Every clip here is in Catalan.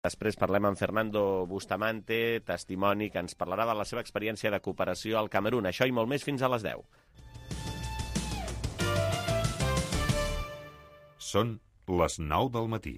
Després parlem amb Fernando Bustamante, testimoni, que ens parlarà de la seva experiència de cooperació al Camerun. Això i molt més fins a les 10. Són les 9 del matí.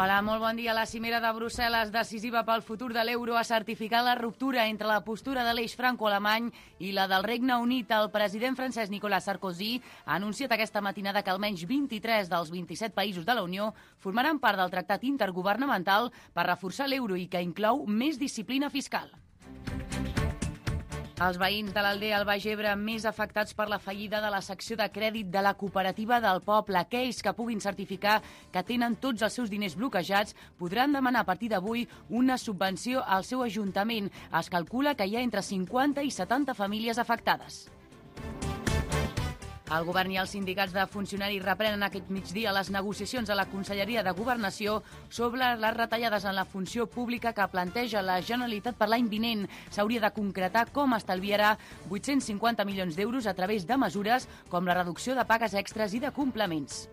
Hola, molt bon dia. La cimera de Brussel·les, decisiva pel futur de l'euro, ha certificat la ruptura entre la postura de l'eix franco-alemany i la del Regne Unit. El president francès Nicolas Sarkozy ha anunciat aquesta matinada que almenys 23 dels 27 països de la Unió formaran part del tractat intergovernamental per reforçar l'euro i que inclou més disciplina fiscal. Els veïns de l'aldea al Baix Ebre més afectats per la fallida de la secció de crèdit de la cooperativa del poble. Aquells que puguin certificar que tenen tots els seus diners bloquejats podran demanar a partir d'avui una subvenció al seu ajuntament. Es calcula que hi ha entre 50 i 70 famílies afectades. El govern i els sindicats de funcionaris reprenen aquest migdia les negociacions a la Conselleria de Governació sobre les retallades en la funció pública que planteja la Generalitat per l'any vinent. S'hauria de concretar com estalviarà 850 milions d'euros a través de mesures com la reducció de pagues extres i de complements.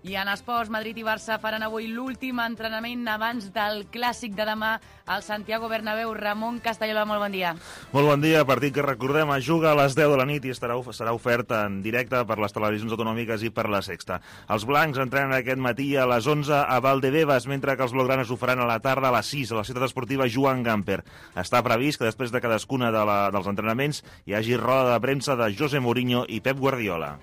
I en esports, Madrid i Barça faran avui l'últim entrenament abans del clàssic de demà al Santiago Bernabéu. Ramon Castellola, molt bon dia. Molt bon dia. Partit que recordem es juga a les 10 de la nit i serà ofert en directe per les televisions autonòmiques i per la Sexta. Els blancs entrenen aquest matí a les 11 a Valdebebas, mentre que els blaugranes ho faran a la tarda a les 6 a la ciutat esportiva Joan Gamper. Està previst que després de cadascuna dels entrenaments hi hagi roda de premsa de José Mourinho i Pep Guardiola.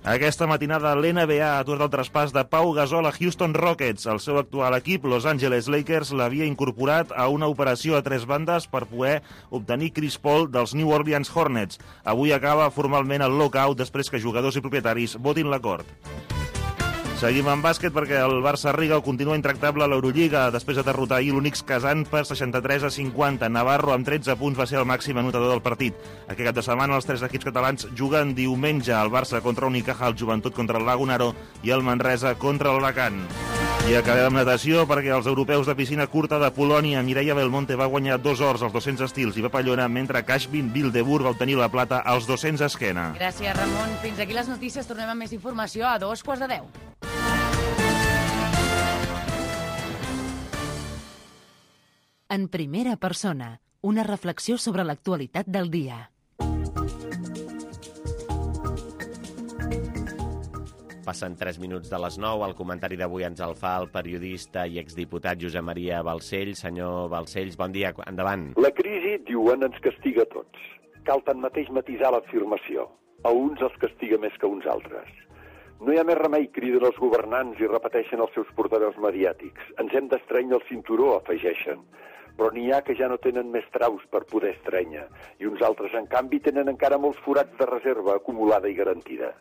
Aquesta matinada l'NBA ha aturat el traspàs de Pau Gasol a Houston Rockets. El seu actual equip, Los Angeles Lakers, l'havia incorporat a una operació a 3 bandes per poder obtenir Chris Paul dels New Orleans Hornets. Avui acaba formalment el lockout després que jugadors i propietaris votin l'acord. Seguim amb bàsquet perquè el Barça Riga continua intractable a l'Eurolliga després de derrotar ahir l'Unix Kazan per 63-50. Navarro amb 13 punts va ser el màxim anotador del partit. Aquest cap de setmana els 3 equips catalans juguen diumenge. El Barça contra Unicaja, el Joventut contra el Lagunaro i el Manresa contra l'Alacant. I acabem amb natació perquè els europeus de piscina curta de Polònia, Mireia Belmonte va guanyar 2 ors als 200 estils i papallona, mentre Kashvin Bilderburg va obtenir la plata als 200 esquena. Gràcies, Ramon. Fins aquí les notícies. Tornem amb més informació a 2:15. En primera persona, una reflexió sobre l'actualitat del dia. Passen 3 minuts de les 9. El comentari d'avui ens el fa el periodista i exdiputat Josep Maria Balcells. Senyor Balcells, bon dia, endavant. La crisi, diuen, ens castiga a tots. Cal tanmateix matisar l'afirmació. A uns els castiga més que a uns altres. No hi ha més remei, criden els governants i repeteixen els seus portaveus mediàtics. Ens hem d'estrènyer el cinturó, afegeixen. Però n'hi ha que ja no tenen més traus per poder estrènyer. I uns altres, en canvi, tenen encara molts forats de reserva acumulada i garantida.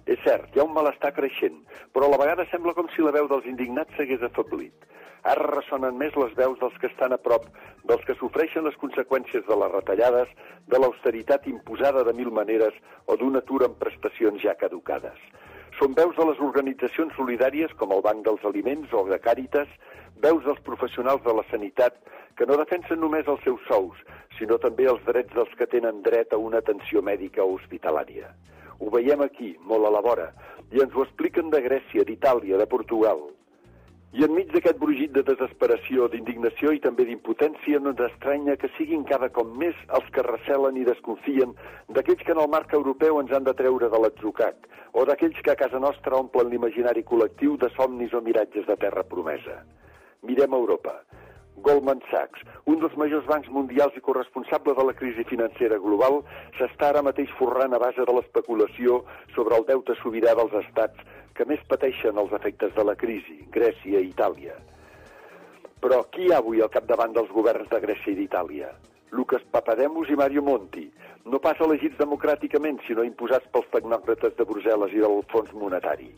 És cert, hi ha un malestar creixent, però a la vegada sembla com si la veu dels indignats s'hagués afeblit. Ara ressonen més les veus dels que estan a prop, dels que sofreixen les conseqüències de les retallades, de l'austeritat imposada de mil maneres o d'un atur en prestacions ja caducades. Són veus de les organitzacions solidàries com el Banc dels Aliments o de Càritas, veus dels professionals de la sanitat que no defensen només els seus sous, sinó també els drets dels que tenen dret a una atenció mèdica o hospitalària. Ho veiem aquí, molt a la vora, i ens ho expliquen de Grècia, d'Itàlia, de Portugal. I enmig d'aquest brugit de desesperació, d'indignació i també d'impotència, no ens estranya que siguin cada cop més els que recelen i desconfien d'aquells que en el marc europeu ens han de treure de l'atzucac, o d'aquells que a casa nostra omplen l'imaginari col·lectiu de somnis o miratges de terra promesa. Mirem a Europa. Goldman Sachs, un dels majors bancs mundials i corresponsable de la crisi financera global, s'està ara mateix forrant a base de l'especulació sobre el deute sobirà dels estats que més pateixen els efectes de la crisi, Grècia i Itàlia. Però qui hi ha avui al capdavant dels governs de Grècia i d'Itàlia? Lucas Papademos i Mario Monti, no pas elegits democràticament, sinó imposats pels tecnòcrates de Brussel·les i del Fons Monetari.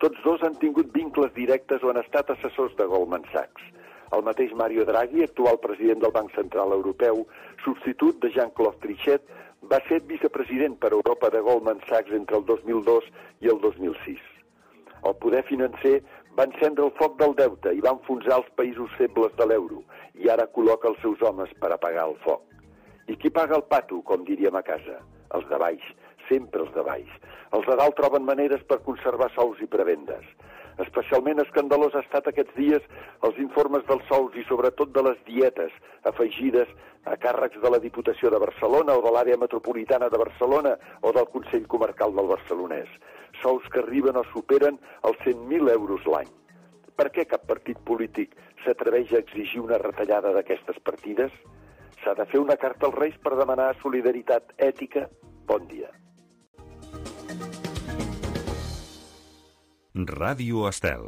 Tots dos han tingut vincles directes o han estat assessors de Goldman Sachs. El mateix Mario Draghi, actual president del Banc Central Europeu, substitut de Jean-Claude Trichet, Va ser vicepresident per Europa de Goldman Sachs entre el 2002 i el 2006. El poder financer va encendre el foc del deute i va enfonsar els països febles de l'euro i ara col·loca els seus homes per apagar el foc. I qui paga el pato, com diríem a casa? Els de baix, sempre els de baix. Els de dalt troben maneres per conservar sous i prebendes. Especialment escandalós ha estat aquests dies els informes dels sous i sobretot de les dietes afegides a càrrecs de la Diputació de Barcelona o de l'àrea metropolitana de Barcelona o del Consell Comarcal del Barcelonès. Sous que arriben o superen els 100.000 euros l'any. Per què cap partit polític s'atreveix a exigir una retallada d'aquestes partides? S'ha de fer una carta als Reis per demanar solidaritat ètica? Bon dia. Ràdio Estel.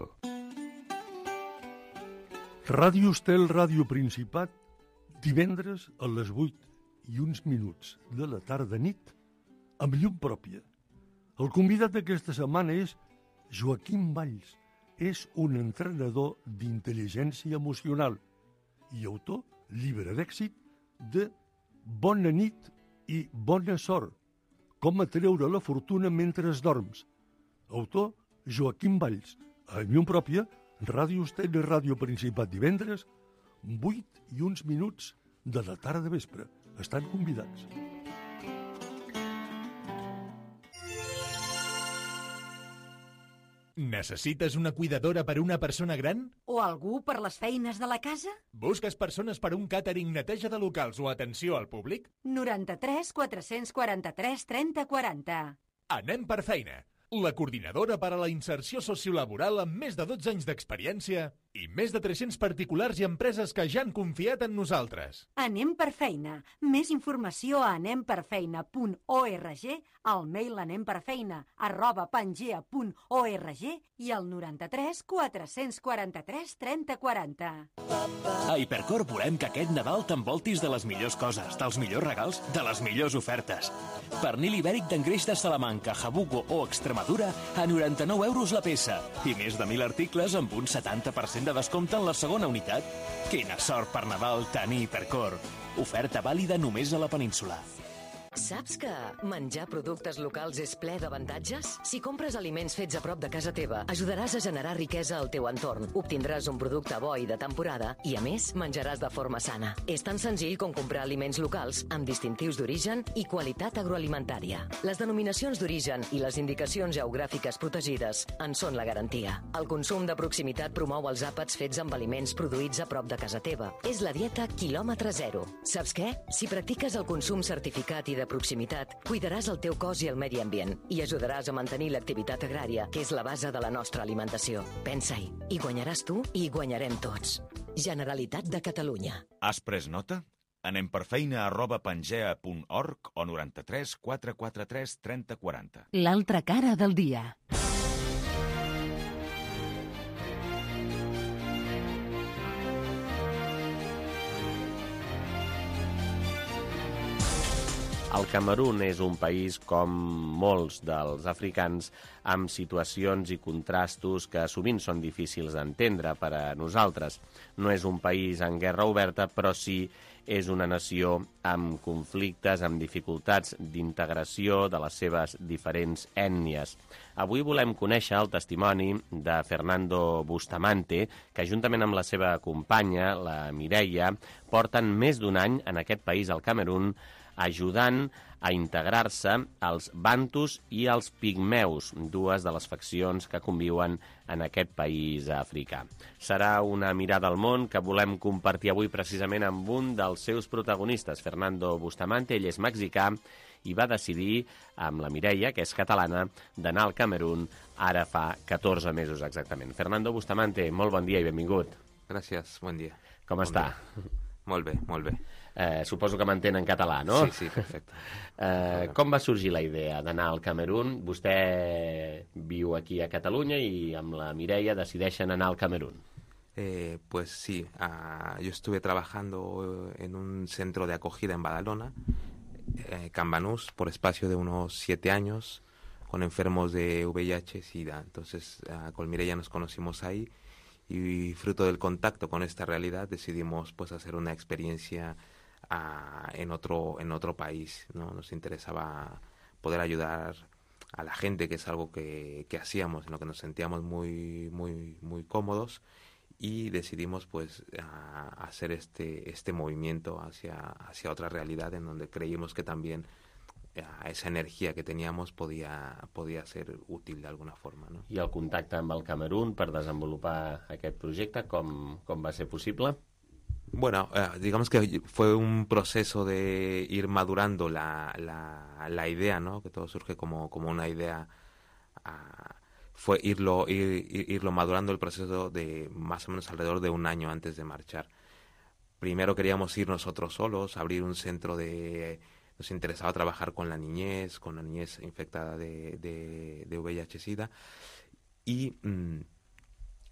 Ràdio Estel, Ràdio Principat, divendres a les 8:01 de la tarda-nit, amb llum pròpia. El convidat d'aquesta setmana és Joaquim Valls. És un entrenador d'intel·ligència emocional i autor, llibre d'èxit, de Bona nit i bona sort, com atreure la fortuna mentre dorms. Autor, Joaquim Valls. A llum pròpia, Ràdio Estel i Ràdio Principat divendres, 8:01 de la tarda vespre. Estan convidats. Necessites una cuidadora per una persona gran? O algú per les feines de la casa? Busques persones per un càtering, neteja de locals o atenció al públic? 93 443 30 40. Anem per feina. La coordinadora per a la inserció sociolaboral amb més de 12 anys d'experiència i més de 300 particulars i empreses que ja han confiat en nosaltres. Anem per feina. Més informació a anemperfeina.org, al mail anemperfeina@pangea.org i al 93 443 30 40. A Hipercor volem que aquest Nadal t'envoltis de les millors coses, dels millors regals, de les millors ofertes. Pernil ibèric d'engreix de Salamanca, Jabugo o Extremadura a 99 euros la peça i més de 1.000 articles amb un 70% de descompte en la segona unitat. Quina sort per Nadal tenir Hipercor. Oferta vàlida només a la península. Saps que menjar productes locals és ple d'avantatges? Si compres aliments fets a prop de casa teva, ajudaràs a generar riquesa al teu entorn. Obtindràs un producte bo i de temporada i, a més, menjaràs de forma sana. És tan senzill com comprar aliments locals amb distintius d'origen i qualitat agroalimentària. Les denominacions d'origen i les indicacions geogràfiques protegides en són la garantia. El consum de proximitat promou els àpats fets amb aliments produïts a prop de casa teva. És la dieta quilòmetre zero. Saps què? Si practiques el consum certificat i de proximitat, cuidaràs el teu cos i el medi ambient i ajudaràs a mantenir l'activitat agrària, que és la base de la nostra alimentació. Pensa-hi. Hi guanyaràs tu i hi guanyarem tots. Generalitat de Catalunya. Has pres nota? Anem per feina@pangea.org o 93 443 30 40. L'altra cara del dia. El Camerun és un país, com molts dels africans, amb situacions i contrastos que sovint són difícils d'entendre per a nosaltres. No és un país en guerra oberta, però sí és una nació amb conflictes, amb dificultats d'integració de les seves diferents ètnies. Avui volem conèixer el testimoni de Fernando Bustamante, que juntament amb la seva companya, la Mireia, porten més d'un any en aquest país, el Camerun, ajudant a integrar-se els bantus i els pigmeus, dues de les faccions que conviuen en aquest país africà. Serà una mirada al món que volem compartir avui precisament amb un dels seus protagonistes, Fernando Bustamante. Ell és mexicà i va decidir, amb la Mireia, que és catalana, d'anar al Camerun ara fa 14 mesos exactament. Fernando Bustamante, molt bon dia i benvingut. Gràcies, bon dia. Com està? Molt bé, molt bé. Suposo que m'entén en català, no? Sí, perfecte. Com va sorgir la idea d'anar al Camerun? Vostè viu aquí a Catalunya i amb la Mireia decideixen anar al Camerun. Pues sí, yo estuve trabajando en un centro de acogida en Badalona, Cambanús, por espacio de unos 7 años, con enfermos de VIH-Sida. Entonces, con Mireia nos conocimos ahí y fruto del contacto con esta realidad decidimos pues hacer una experiencia en otro país, ¿no? Nos interesaba poder ayudar a la gente, que es algo que hacíamos, en lo que nos sentíamos muy, muy, muy cómodos, y decidimos pues hacer este movimiento hacia otra realidad, en donde creímos que también esa energia que teníamos podía ser útil de alguna forma, ¿no? I el contacte amb el Camerún per desenvolupar aquest projecte, com va ser possible? Bueno, digamos que fue un proceso de ir madurando la idea, ¿no? Que todo surge como una idea. Fue irlo madurando el proceso de más o menos alrededor de un año antes de marchar. Primero queríamos ir nosotros solos, abrir un centro nos interesaba trabajar con la niñez infectada de VIH-Sida, y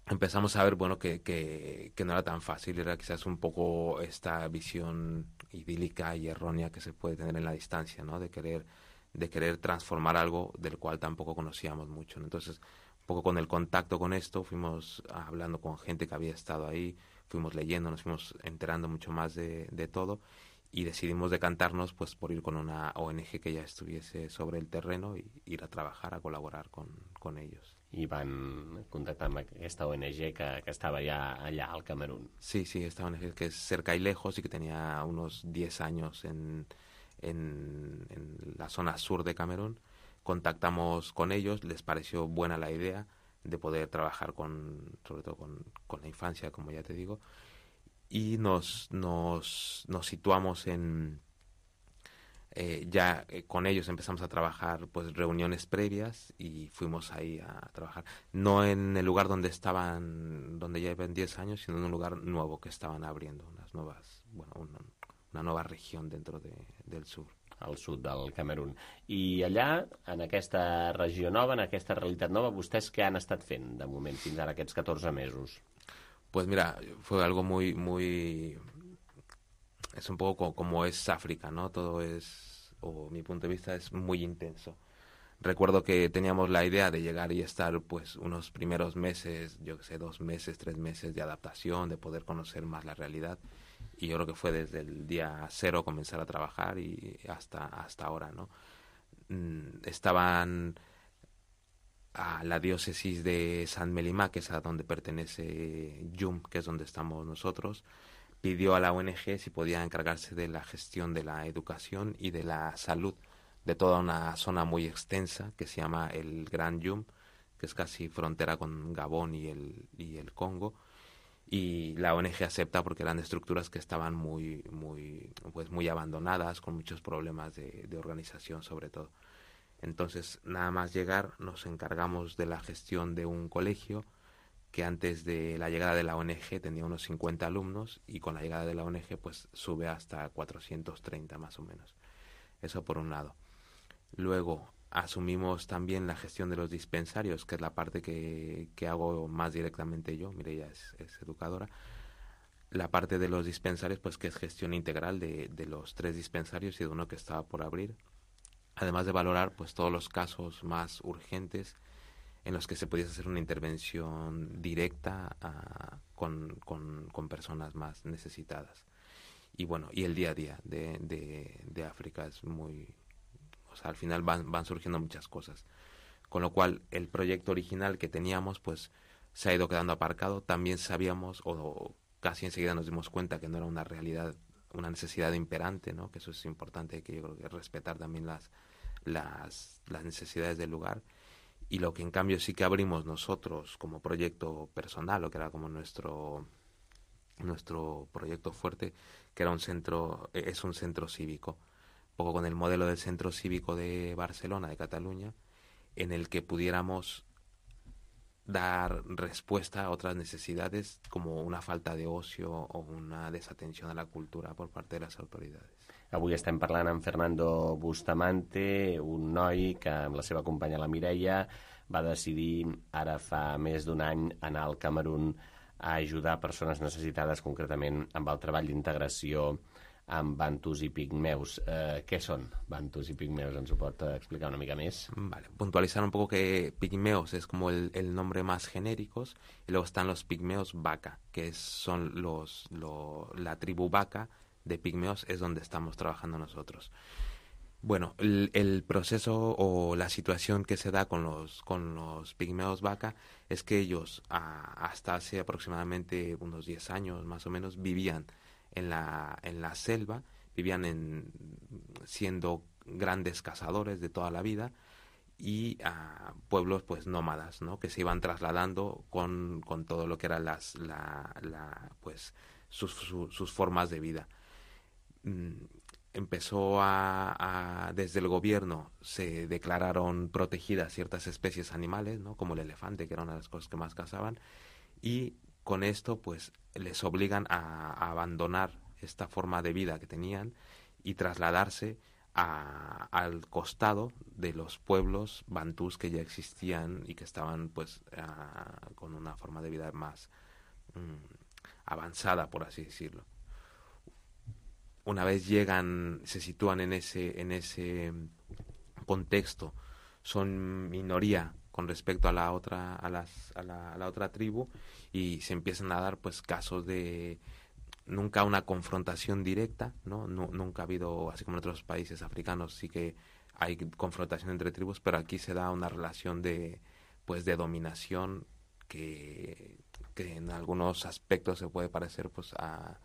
empezamos a ver, bueno, que no era tan fácil, era quizás un poco esta visión idílica y errónea que se puede tener en la distancia, ¿no? De querer transformar algo del cual tampoco conocíamos mucho, ¿no? Entonces, un poco con el contacto con esto, fuimos hablando con gente que había estado ahí, fuimos leyendo, nos fuimos enterando mucho más de todo, y decidimos decantarnos pues por ir con una ONG que ya estuviese sobre el terreno y ir a trabajar, a colaborar con ellos. I van contactar amb aquesta ONG que estava ja allà al Camerún. Sí, esta ONG que es Cerca y Lejos y que tenía unos 10 años en la zona sur de Camerún. Contactamos con ellos, les pareció buena la idea de poder trabajar sobre todo con la infancia, como ya te digo, y nos situamos con ellos empezamos a trabajar pues reuniones previas, y fuimos ahí a trabajar, no en el lugar donde ya llevan 10 años, sino en un lugar nuevo que estaban abriendo, una nueva región dentro del sur. Al sud del Camerún. I allà, en aquesta regió nova, en aquesta realitat nova, vostès què han estat fent de moment fins ara aquests 14 mesos? Pues mira, fue algo muy... Es un poco como es África, ¿no? Todo mi punto de vista, es muy intenso. Recuerdo que teníamos la idea de llegar y estar pues unos primeros meses, 2 meses, 3 meses de adaptación, de poder conocer más la realidad. Y yo creo que fue desde el día 0 comenzar a trabajar y hasta ahora, ¿no? Estaban a la diócesis de San Melimá, que es a donde pertenece Yum, que es donde estamos nosotros, pidió a la ONG si podía encargarse de la gestión de la educación y de la salud de toda una zona muy extensa que se llama el Gran Yum, que es casi frontera con Gabón y el Congo. Y la ONG acepta porque eran estructuras que estaban muy abandonadas, con muchos problemas de organización sobre todo. Entonces, nada más llegar, nos encargamos de la gestión de un colegio que antes de la llegada de la ONG tenía unos 50 alumnos, y con la llegada de la ONG pues sube hasta 430 más o menos. Eso por un lado. Luego asumimos también la gestión de los dispensarios, que es la parte que hago más directamente yo. Mireia es educadora. La parte de los dispensarios, pues que es gestión integral de los 3 dispensarios y de uno que estaba por abrir. Además de valorar pues todos los casos más urgentes en los que se pudiese hacer una intervención directa con personas más necesitadas. Y bueno, y el día a día de África es muy... O sea, al final van surgiendo muchas cosas. Con lo cual, el proyecto original que teníamos, pues, se ha ido quedando aparcado. También sabíamos, o casi enseguida nos dimos cuenta, que no era una realidad, una necesidad imperante, ¿no? Que eso es importante, que yo creo que respetar también las necesidades del lugar. Y lo que en cambio sí que abrimos nosotros como proyecto personal, o que era como nuestro proyecto fuerte, que era es un centro cívico, un poco con el modelo del centro cívico de Barcelona, de Cataluña, en el que pudiéramos dar respuesta a otras necesidades, como una falta de ocio o una desatención a la cultura por parte de las autoridades. Avui estem parlant amb Fernando Bustamante, un noi que amb la seva companya la Mireia va decidir ara fa més d'1 any anar al Camerún a ajudar persones necessitades, concretament amb el treball d'integració amb bantus i pigmeus. Què són bantus i pigmeus? ¿Ens ho pot explicar una mica més? Vale, puntualizar un poco que pigmeos es como el nombre más genéricos, y luego están los pigmeos Baka, que son la tribu Baka, de pigmeos es donde estamos trabajando nosotros. Bueno, el proceso o la situación que se da con los pigmeos vaca es que ellos hasta hace aproximadamente unos 10 años más o menos vivían en la selva, vivían siendo grandes cazadores de toda la vida y a pueblos pues nómadas, ¿no? Que se iban trasladando con todo lo que eran pues sus formas de vida. Empezó desde el gobierno se declararon protegidas ciertas especies animales, ¿no? Como el elefante, que era una de las cosas que más cazaban, y con esto pues les obligan a abandonar esta forma de vida que tenían y trasladarse al costado de los pueblos bantús que ya existían y que estaban pues con una forma de vida más avanzada, por así decirlo. Una vez llegan, se sitúan en ese contexto, son minoría con respecto a la otra tribu, y se empiezan a dar pues casos de nunca una confrontación directa, ¿no? Nunca ha habido, así como en otros países africanos sí que hay confrontación entre tribus, pero aquí se da una relación de dominación que en algunos aspectos se puede parecer pues a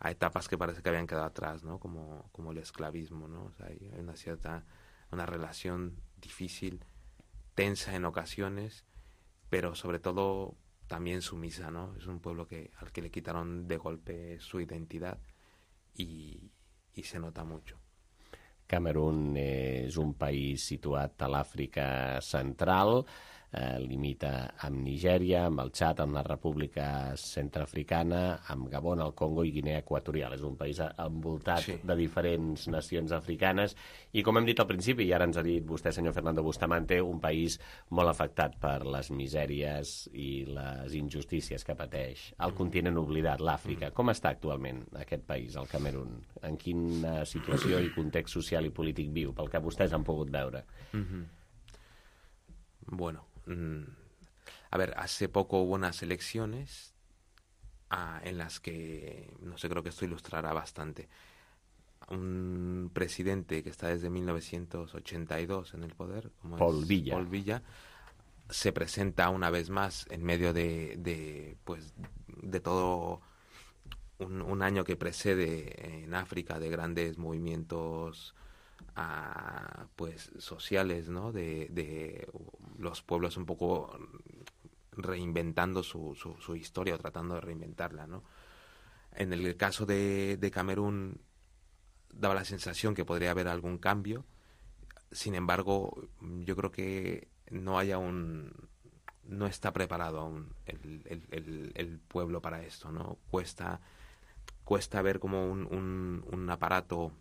etapas que parece que habían quedado atrás, ¿no? Como el esclavismo, ¿no? O sea, hay una relación difícil, tensa en ocasiones, pero sobre todo también sumisa, ¿no? Es un pueblo al que le quitaron de golpe su identidad y se nota mucho. Camerún és un país situat a l'Àfrica Central, limita amb Nigèria, amb el Txad, amb la República Centreafricana, amb Gabon, el Congo i Guinea Equatorial. És un país envoltat de diferents nacions africanes i, com hem dit al principi, i ara ens ha dit vostè, senyor Fernando Bustamante, un país molt afectat per les misèries i les injustícies que pateix el continent oblidat, l'Àfrica. Com està actualment aquest país, el Camerún? En quina situació i context social i polític viu, pel que vostès han pogut veure? Bueno, a ver, hace poco hubo unas elecciones en las que, no sé, creo que esto ilustrará bastante. Un presidente que está desde 1982 en el poder, como Paul Paul Biya, se presenta una vez más en medio de todo un año que precede en África de grandes movimientos pues sociales, ¿no? De los pueblos un poco reinventando su historia o tratando de reinventarla, ¿no? En el caso de Camerún daba la sensación que podría haber algún cambio. Sin embargo, yo creo que no está preparado aún el pueblo para esto, ¿no? Cuesta ver cómo un aparato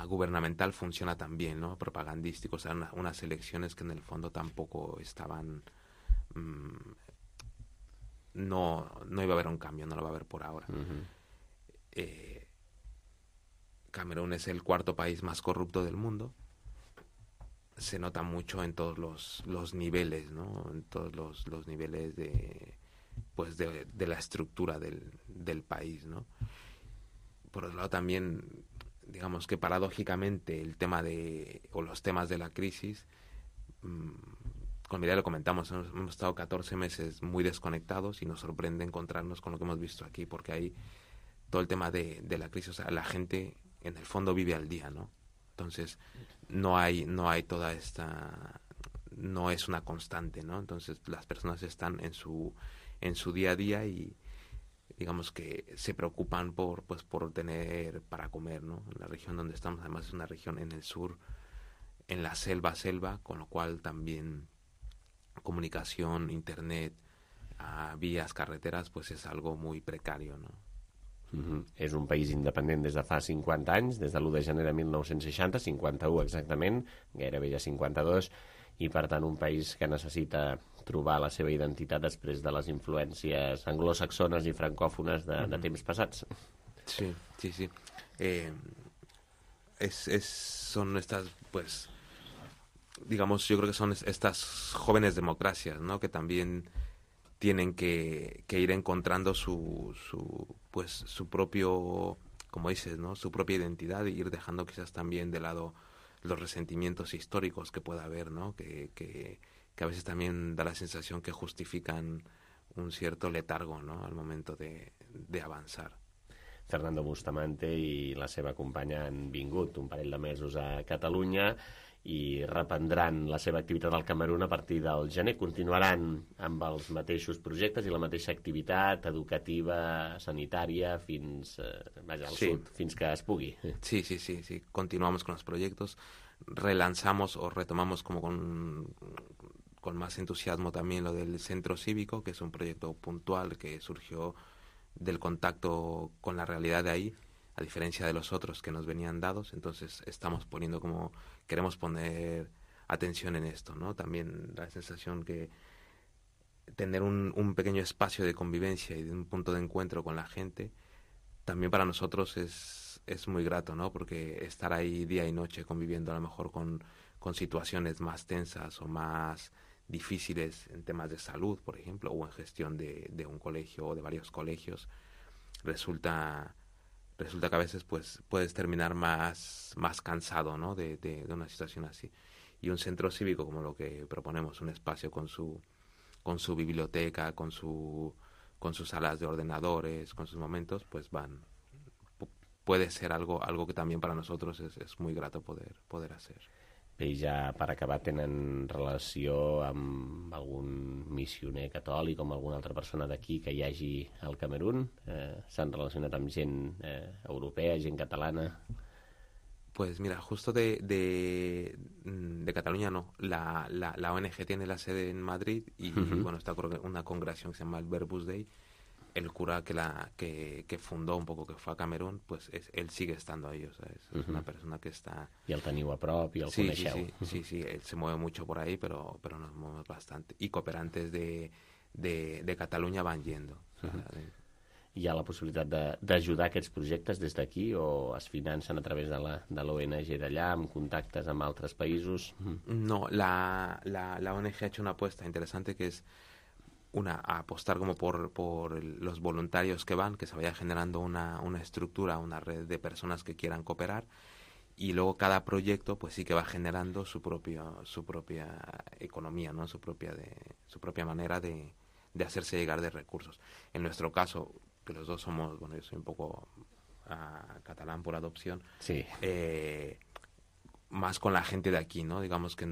gubernamental funciona tan bien, ¿no? Propagandístico, o sea, unas elecciones que en el fondo tampoco estaban... no iba a haber un cambio, no lo va a haber por ahora. Camerún es el cuarto país más corrupto del mundo. Se nota mucho en todos los niveles, ¿no? En todos los niveles de la estructura del país, ¿no? Por otro lado también, digamos que paradójicamente los temas de la crisis, con Mireia lo comentamos, hemos estado 14 meses muy desconectados y nos sorprende encontrarnos con lo que hemos visto aquí, porque hay todo el tema de la crisis, o sea, la gente en el fondo vive al día, ¿no? Entonces no hay toda esta, no es una constante, ¿no? Entonces las personas están en su día a día y digamos que se preocupan por tener para comer, ¿no? En la región donde estamos, además es una región en el sur, en la selva, con lo cual también comunicación, internet, vías, carreteras, pues es algo muy precario, ¿no? És un país independent des de fa 50 anys, des de l'1 de gener de 1960, 51 exactament, gairebé ja 52, i per tant un país que necessita trobar la seva identitat després de les influències anglosaxones i francòfones de temps passats. Sí. Son estas, pues, digamos, yo creo que son estas jóvenes democracias, ¿no? Que también tienen que ir encontrando su propio, como dices, ¿no? Su propia identidad, e ir dejando quizás también de lado los resentimientos históricos que pueda haber, ¿no? Que a veces también da la sensación que justifican un cierto letargo, ¿no? Al momento de avançar. Fernando Bustamante i la seva companya han vingut un parell de mesos a Catalunya i reprendran la seva activitat al Camerun a partir del gener. Continuaran amb els mateixos projectes i la mateixa activitat educativa, sanitària, fins al sud, fins que es pugui. Sí. Continuamos con los proyectos, relanzamos o retomamos como con más entusiasmo también lo del centro cívico, que es un proyecto puntual que surgió del contacto con la realidad de ahí, a diferencia de los otros que nos venían dados. Entonces queremos poner atención en esto, ¿no? También la sensación que tener un pequeño espacio de convivencia y de un punto de encuentro con la gente, también para nosotros es muy grato, ¿no? Porque estar ahí día y noche conviviendo a lo mejor con situaciones más tensas o más difíciles en temas de salud, por ejemplo, o en gestión de un colegio o de varios colegios, resulta que a veces pues puedes terminar más cansado, ¿no? de una situación así. Y un centro cívico como lo que proponemos, un espacio con su biblioteca, con sus salas de ordenadores, con sus momentos, pues puede ser algo que también para nosotros es muy grato poder hacer. Bé, i ja per acabar, tenen relació amb algun missioner catòlic o amb alguna altra persona d'aquí que hi hagi al Camerun? S'han relacionat amb gent europea, gent catalana? Pues mira, justo de Cataluña no. La ONG tiene la sede en Madrid y bueno, está una congregación que se llama el Verbus Dei. El cura que fundó un poco, que fue a Camerún, pues él sigue estando ahí, o sea, es una persona que está... I el teniu a prop, i el coneixeu. Sí, él se mueve mucho por ahí, pero nos movemos bastante. Y cooperantes de Cataluña van yendo. Hi ha la possibilitat d'ajudar aquests projectes des d'aquí o es financen a través de l'ONG d'allà, amb contactes amb altres països? No, la ONG ha hecho una apuesta interesante que es a apostar como por los voluntarios que van, que se vaya generando una estructura, una red de personas que quieran cooperar, y luego cada proyecto pues sí que va generando su propia economía, ¿no? Su propia manera de hacerse llegar de recursos. En nuestro caso, que los dos somos, bueno, yo soy un poco catalán por adopción, sí. Más con la gente de aquí, ¿no? Digamos que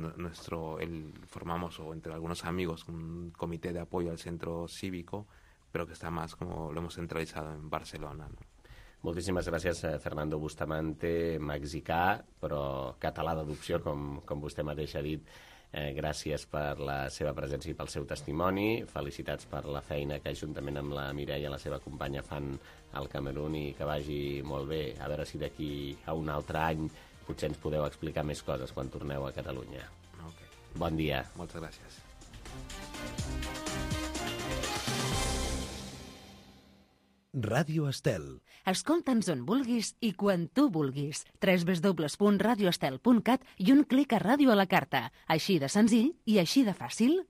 formamos, o entre algunos amigos, un comité de apoyo al centro cívico, pero que está más como lo hemos centralizado en Barcelona, ¿no? Moltíssimes gràcies, Fernando Bustamante, mexicà, però català d'adopció, com vostè mateix ha dit. Gràcies per la seva presència i pel seu testimoni. Felicitats per la feina que juntament amb la Mireia, la seva companya, fan al Camerun i que vagi molt bé. A veure si d'aquí a un altre any potser ens podeu explicar més coses quan torneu a Catalunya. Okay. Bon dia. Moltes gràcies. Ràdio Estel. Escolta'ns on vulguis i quan tu vulguis. www.radioestel.cat i un clic a ràdio a la carta. Així de senzill i així de fàcil.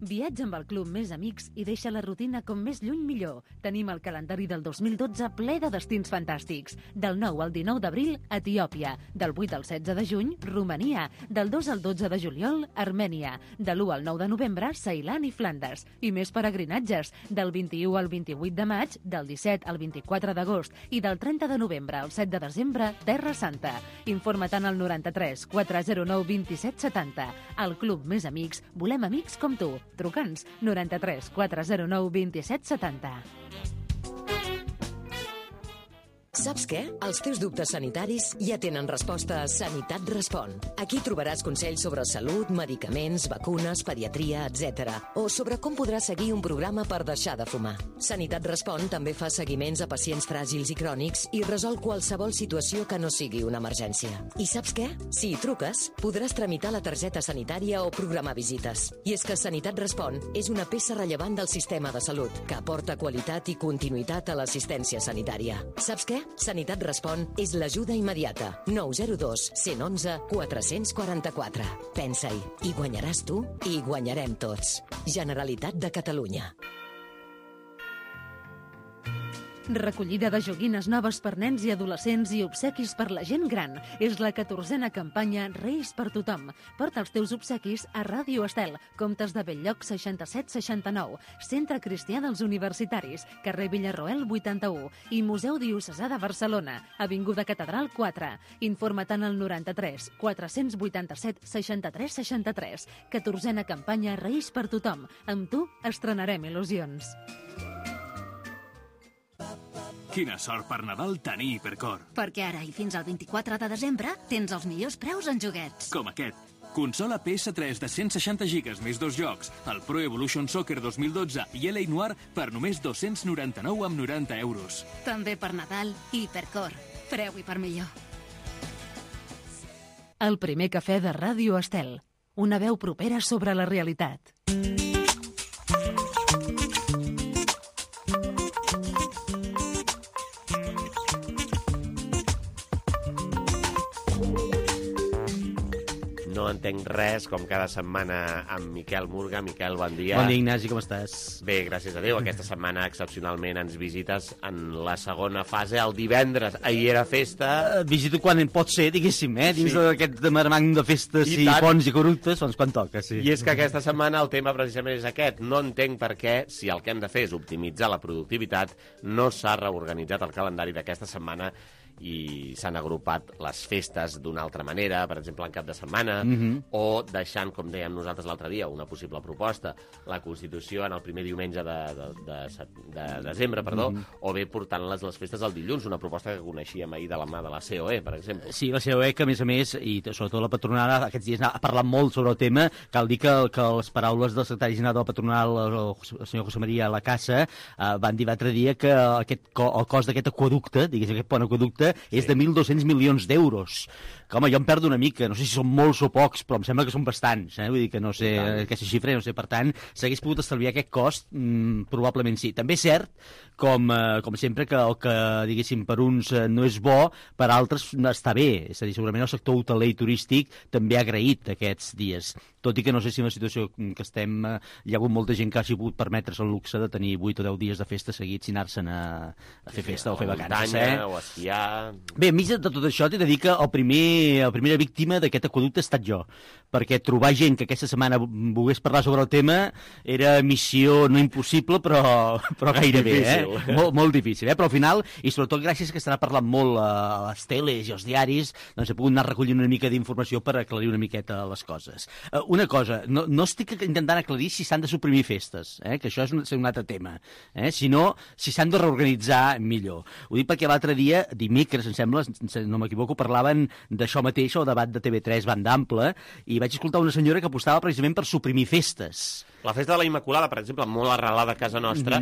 Viatja amb el Club Més Amics i deixa la rutina com més lluny millor. Tenim el calendari del 2012 ple de destins fantàstics. Del 9 al 19 d'abril, Etiòpia. Del 8 al 16 de juny, Romania. Del 2 al 12 de juliol, Armènia. De l'1 al 9 de novembre, Ceilan i Flandes. I més peregrinatges. Del 21 al 28 de maig, del 17 al 24 d'agost i del 30 de novembre al 7 de desembre, Terra Santa. Informa tant al 93 409 27 70. Al Club Més Amics, volem amics com tu. Truca'ns 93 409 27 70. Saps què? Els teus dubtes sanitaris ja tenen resposta a Sanitat Respon. Aquí trobaràs consells sobre salut, medicaments, vacunes, pediatria, etc. O sobre com podràs seguir un programa per deixar de fumar. Sanitat Respon també fa seguiments a pacients fràgils i crònics i resol qualsevol situació que no sigui una emergència. I saps què? Si hi truques, podràs tramitar la targeta sanitària o programar visites. I és que Sanitat Respon és una peça rellevant del sistema de salut, que aporta qualitat i continuïtat a l'assistència sanitària. Saps què? Sanitat Respon és l'ajuda immediata. 902 111 444. Pensa-hi, i guanyaràs tu i guanyarem tots. Generalitat de Catalunya. Recollida de joguines noves per nens i adolescents i obsequis per la gent gran. És la 14a campanya Reis per tothom. Porta els teus obsequis a Ràdio Estel, Comtes de Belllloc 6769, Centre Cristià dels Universitaris, carrer Villarroel 81 i Museu Diocesà de Barcelona, Avinguda Catedral 4. Informa-te'n al 93 487 63 63. 14a campanya Reis per tothom. Amb tu estrenarem il·lusions. Quina sort per Nadal tenir Hipercor. Perquè ara i fins al 24 de desembre tens els millors preus en joguets. Com aquest. Consola PS3 de 160 gigas més 2 jocs, el Pro Evolution Soccer 2012 i LA Noir per només 299 amb 90 euros. També per Nadal, Hipercor. Preu i per millor. El primer cafè de Ràdio Estel. Una veu propera sobre la realitat. No entenc res, com cada setmana amb Miquel Murga. Miquel, bon dia. Bon dia, Ignasi, com estàs? Bé, gràcies a Déu. Aquesta setmana, excepcionalment, ens visites en la segona fase, el divendres. Ahir era festa. Visito quan pot ser, diguéssim, dins d'aquest marmang de festes i ponts i corruptes, doncs quan toca, sí. I és que aquesta setmana el tema precisament és aquest. No entenc per què, si el que hem de fer és optimitzar la productivitat, no s'ha reorganitzat el calendari d'aquesta setmana i s'han agrupat les festes d'una altra manera, per exemple, en cap de setmana, o deixant, com dèiem nosaltres l'altre dia, una possible proposta, la Constitució en el primer diumenge de desembre, o bé portant les festes al dilluns, una proposta que coneixíem ahir de la mà de la COE, per exemple. Sí, la COE, que a més, i sobretot la patronal, aquests dies ha parlat molt sobre el tema. Cal dir que les paraules del secretari general de la patronal, el senyor José María Lacasa, van dir l'altre dia que el cost d'aquest aquaducte, diguéssim, aquest pont aquaducte, és de 1.200 milions d'euros. Que, home, jo em perdo una mica, no sé si són molts o pocs, però em sembla que són bastants, vull dir que no sé aquesta xifra, no sé, per tant, s'hagués pogut estalviar aquest cost, probablement sí. També és cert, com sempre, que el que, diguéssim, per uns no és bo, per altres està bé, és a dir, segurament el sector hoteler i turístic també ha agraït aquests dies, tot i que no sé si en la situació que estem hi ha hagut molta gent que hagi pogut permetre's el luxe de tenir 8 o 10 dies de festa seguits i anar-se'n a fer festa o fer vacances. O esquiar. Bé, enmig de tot això t'he de dir que la primera víctima d'aquest aquaducte he estat jo, perquè trobar gent que aquesta setmana volgués parlar sobre el tema era missió no impossible, però gairebé, molt difícil, però al final, i sobretot gràcies que estarà parlant molt a les teles i als diaris, doncs he pogut anar recollint una mica d'informació per aclarir una miqueta les coses. Una cosa, no estic intentant aclarir si s'han de suprimir festes, que això és un altre tema, sinó si s'han de reorganitzar millor. Ho dic perquè l'altre dia, dimecres, em sembla, no m'equivoco, parlaven d'això mateix, el debat de TV3 banda ampla, i vaig escoltar una senyora que apostava precisament per suprimir festes. La festa de la Immaculada, per exemple, molt arrelada a casa nostra,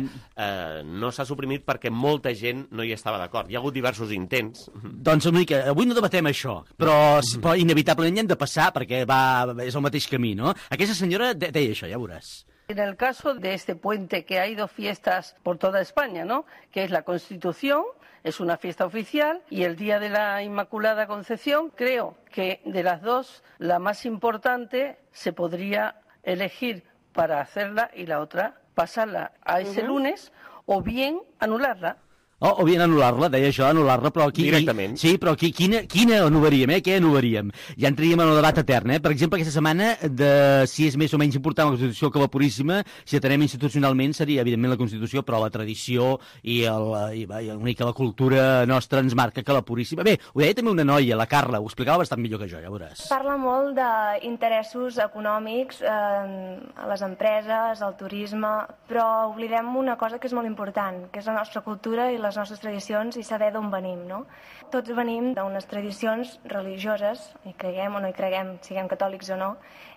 no s'ha suprimit perquè molta gent no hi estava d'acord. Hi ha hagut diversos intents. Doncs una mica, avui no debatem això, però inevitablement hi hem de passar perquè és el mateix camí, no? Aquesta senyora deia això, ja veuràs. En el caso de este puente, que hay dos fiestas por toda España, ¿no? Que es la Constitución, es una fiesta oficial, y el Día de la Inmaculada Concepción, creo que de las dos, la más importante se podría elegir para hacerla y la otra pasarla a ese lunes o bien anularla. O bien anul·lar-la, deia això, anul·lar-la, però aquí... Directament. Sí, però aquí, quina anul·laríem, Què anul·laríem? Ja entraríem en el debat etern, Per exemple, aquesta setmana, de si és més o menys important la Constitució que la Puríssima, si atenem institucionalment, seria, evidentment, la Constitució, però la tradició i una mica la cultura nostra ens marca que la Puríssima... Bé, ho deia també una noia, la Carla, ho explicava bastant millor que jo, ja veuràs. Parla molt d'interessos econòmics, a les empreses, al turisme, però oblidem una cosa que és molt important, que és la nostra cultura i les nostres tradicions i saber d'on venim, no? Tots venim d'unes tradicions religioses, hi creguem o no hi creguem, siguem catòlics o no,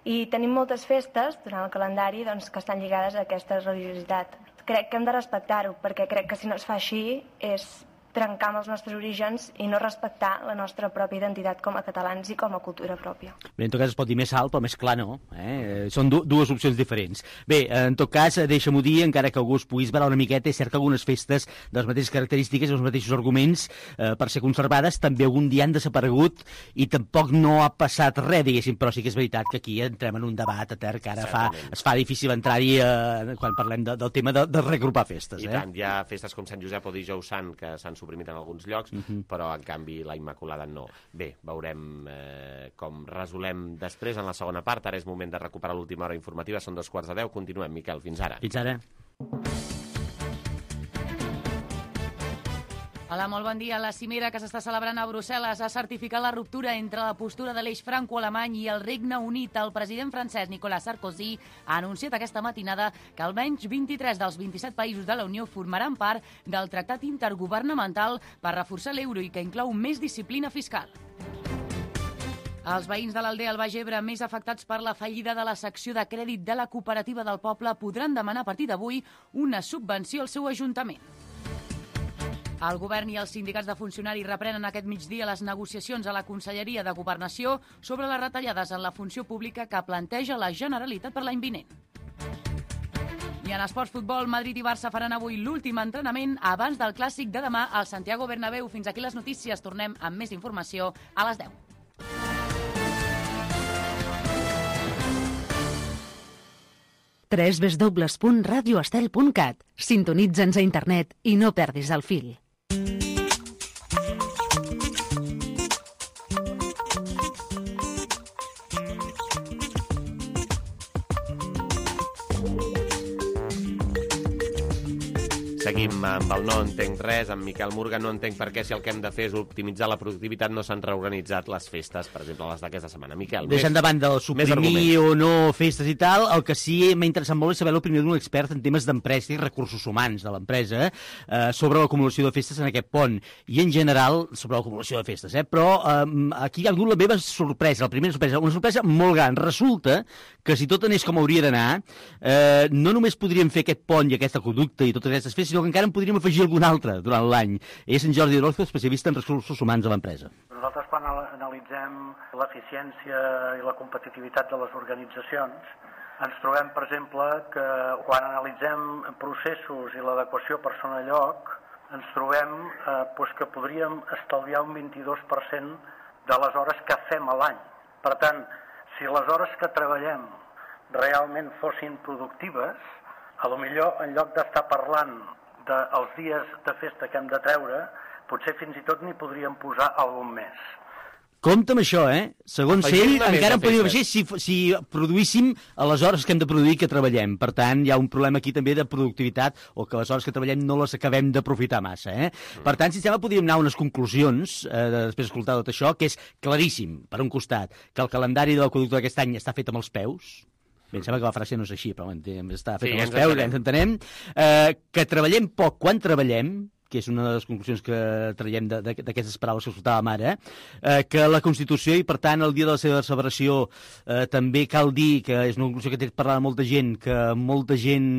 i tenim moltes festes durant el calendari doncs, que estan lligades a aquesta religiositat. Crec que hem de respectar-ho, perquè crec que si no es fa així és trencar amb els nostres orígens i no respectar la nostra pròpia identitat com a catalans i com a cultura pròpia. Bé, en tot cas es pot dir més alt, però més clar no. Són dues opcions diferents. Bé, en tot cas, deixa-m'ho dir, encara que algú es pugui esverar una miqueta, és cert que algunes festes de les mateixes característiques i els mateixos arguments per ser conservades també algun dia han desaparegut i tampoc no ha passat res, diguéssim, però sí que és veritat que aquí entrem en un debat etern que ara es fa difícil entrar-hi quan parlem del tema de reagrupar festes. I tant, hi ha festes com Sant Josep o Dijous Sant que s'han suprimit en alguns llocs, però en canvi la Immaculada no. Bé, veurem com resolem després en la segona part. Ara és moment de recuperar l'última hora informativa, són 2:15. Continuem, Miquel, fins ara. Fins ara. Hola, molt bon dia. La cimera que s'està celebrant a Brussel·les ha certificat la ruptura entre la postura de l'eix franco-alemany i el Regne Unit. El president francès Nicolas Sarkozy ha anunciat aquesta matinada que almenys 23 dels 27 països de la Unió formaran part del tractat intergovernamental per reforçar l'euro i que inclou més disciplina fiscal. Els veïns de l'Aldea al Baix Ebre més afectats per la fallida de la secció de crèdit de la cooperativa del poble podran demanar a partir d'avui una subvenció al seu ajuntament. El govern i els sindicats de funcionaris reprenen aquest migdia les negociacions a la Conselleria de Governació sobre les retallades en la funció pública que planteja la Generalitat per l'any vinent. I en esports futbol, Madrid i Barça faran avui l'últim entrenament abans del clàssic de demà al Santiago Bernabéu. Fins aquí les notícies. Tornem amb més informació a les 10. www.radioestel.cat. Sintonitza'ns a internet i no perdis el fil. Seguim amb el No entenc res, amb Miquel Murga. No entenc per què, si el que hem de fer és optimitzar la productivitat, no s'han reorganitzat les festes, per exemple, les d'aquesta setmana. Miquel, deixant davant del suprimir o no festes i tal, el que sí m'ha interessat molt és saber l'opinió d'un expert en temes d'empresa i recursos humans de l'empresa sobre l'acumulació de festes en aquest pont i en general sobre l'acumulació de festes. Però aquí hi ha hagut la meva sorpresa, la primera sorpresa, una sorpresa molt gran. Resulta que si tot anés com hauria d'anar, no només podríem fer aquest pont i aquesta conducta i totes aquestes festes, sinó que encara en podríem afegir algun altre durant l'any. És en Jordi Orozco, especialista en recursos humans de l'empresa. Nosaltres, quan analitzem l'eficiència i la competitivitat de les organitzacions, ens trobem, per exemple, que quan analitzem processos i l'adequació persona-lloc, ens trobem que podríem estalviar un 22% de les hores que fem a l'any. Per tant, si les hores que treballem realment fossin productives, potser en lloc d'estar parlant dels dies de festa que hem de treure, potser fins i tot n'hi podríem posar algun més. Compte amb això, Segons ell, encara en podríem afegir si produíssim a les hores que hem de produir que treballem. Per tant, hi ha un problema aquí també de productivitat o que les hores que treballem no les acabem d'aprofitar massa, Per tant, si sembla, podríem anar a unes conclusions, després d'escoltar tot això, que és claríssim, per un costat, que el calendari de l'aqüeducte d'aquest any està fet amb els peus. Bé, em sembla que la frase no és així, però està fet amb els peus, ens entenem. Que treballem poc quan treballem, que és una de les conclusions que traiem d'aquestes paraules que escoltàvem ara, que la Constitució i, per tant, el dia de la seva celebració també cal dir, que és una conclusió que té parlat molta gent, que molta gent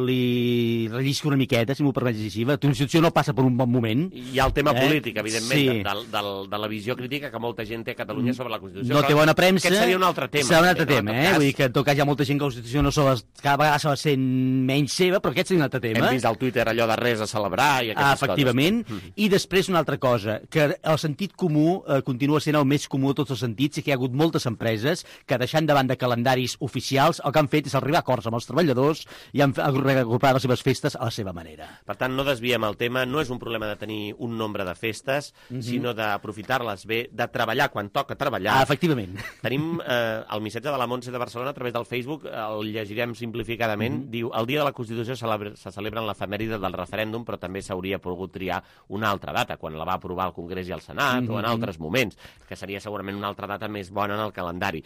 li rellisca una miqueta, si m'ho permets així. La Constitució no passa per un bon moment. Hi ha el tema polític, evidentment, de la visió crítica que molta gent té a Catalunya sobre la Constitució. No té bona premsa. Aquest seria un altre tema. Serà un altre tema, Vull dir que, en tot cas, hi ha molta gent que la Constitució no cada vegada se va sent menys seva, però aquest seria un altre tema. Hem vist al Twitter allò de res a celebrar i aquestes efectivament. I després una altra cosa, que el sentit comú continua sent el més comú de tots els sentits i que hi ha hagut moltes empreses que, deixant davant de calendaris oficials, el que han fet és arribar a acords amb els treballadors i han reagrupat les seves festes a la seva manera. Per tant, no desviem el tema. No és un problema de tenir un nombre de festes, sinó d'aprofitar-les bé, de treballar quan toca treballar. Efectivament. Tenim el missatge de la Montse de Barcelona a través del Facebook, el llegirem simplificadament. Diu, el dia de la Constitució se celebra en l'efemèride del referèndum, però també s'hauria pogut triar una altra data, quan la va aprovar el Congrés i el Senat, o en altres moments, que seria segurament una altra data més bona en el calendari.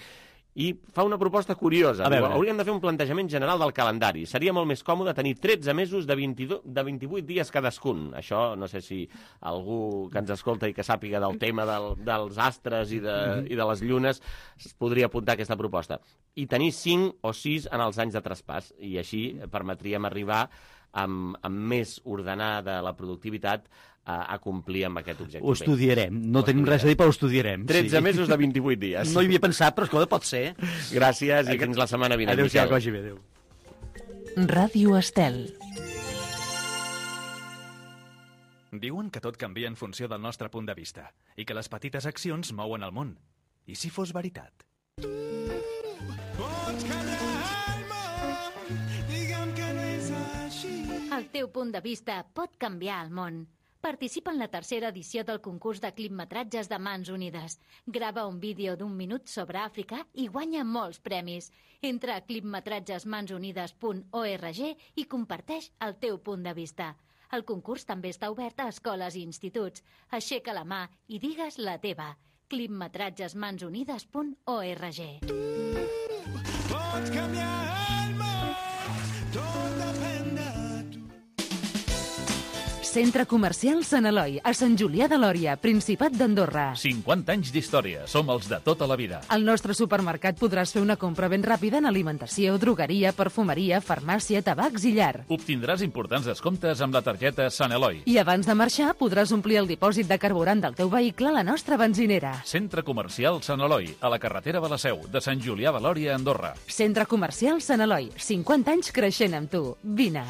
I fa una proposta curiosa. Diu, hauríem de fer un plantejament general del calendari. Seria molt més còmode tenir 13 mesos de 28 dies cadascun. Això, no sé si algú que ens escolta i que sàpiga del tema dels astres i de les llunes es podria apuntar a aquesta proposta. I tenir 5 o 6 en els anys de traspàs. I així permetríem arribar amb més ordenada la productivitat a complir amb aquest objectiu. Ho estudiarem. No tenim res a dir, però ho estudiarem. 13 mesos de 28 dies. No hi havia pensat, però escolta, pot ser. Gràcies i fins la setmana vinent. Adéu-siau, que vagi bé, adéu. Ràdio Estel. Diuen que tot canvia en funció del nostre punt de vista i que les petites accions mouen el món. I si fos veritat? El teu punt de vista pot canviar el món. Participa en la tercera edició del concurs de clipmetratges de Mans Unides. Grava un vídeo d'1 minut sobre Àfrica i guanya molts premis. Entra a clipmetratgesmansunides.org i comparteix el teu punt de vista. El concurs també està obert a escoles i instituts. Aixeca la mà i digues la teva. clipmetratgesmansunides.org. Pots canviar el món, tot depèn de tu. Centre Comercial Sant Eloi, a Sant Julià de Lòria, Principat d'Andorra. 50 anys d'història, som els de tota la vida. Al nostre supermercat podràs fer una compra ben ràpida en alimentació, drogueria, perfumeria, farmàcia, tabacs i llar. Obtindràs importants descomptes amb la targeta Sant Eloi. I abans de marxar podràs omplir el dipòsit de carburant del teu vehicle a la nostra benzinera. Centre Comercial Sant Eloi, a la carretera de la Seu, de Sant Julià de Lòria, Andorra. Centre Comercial Sant Eloi, 50 anys creixent amb tu. Vine.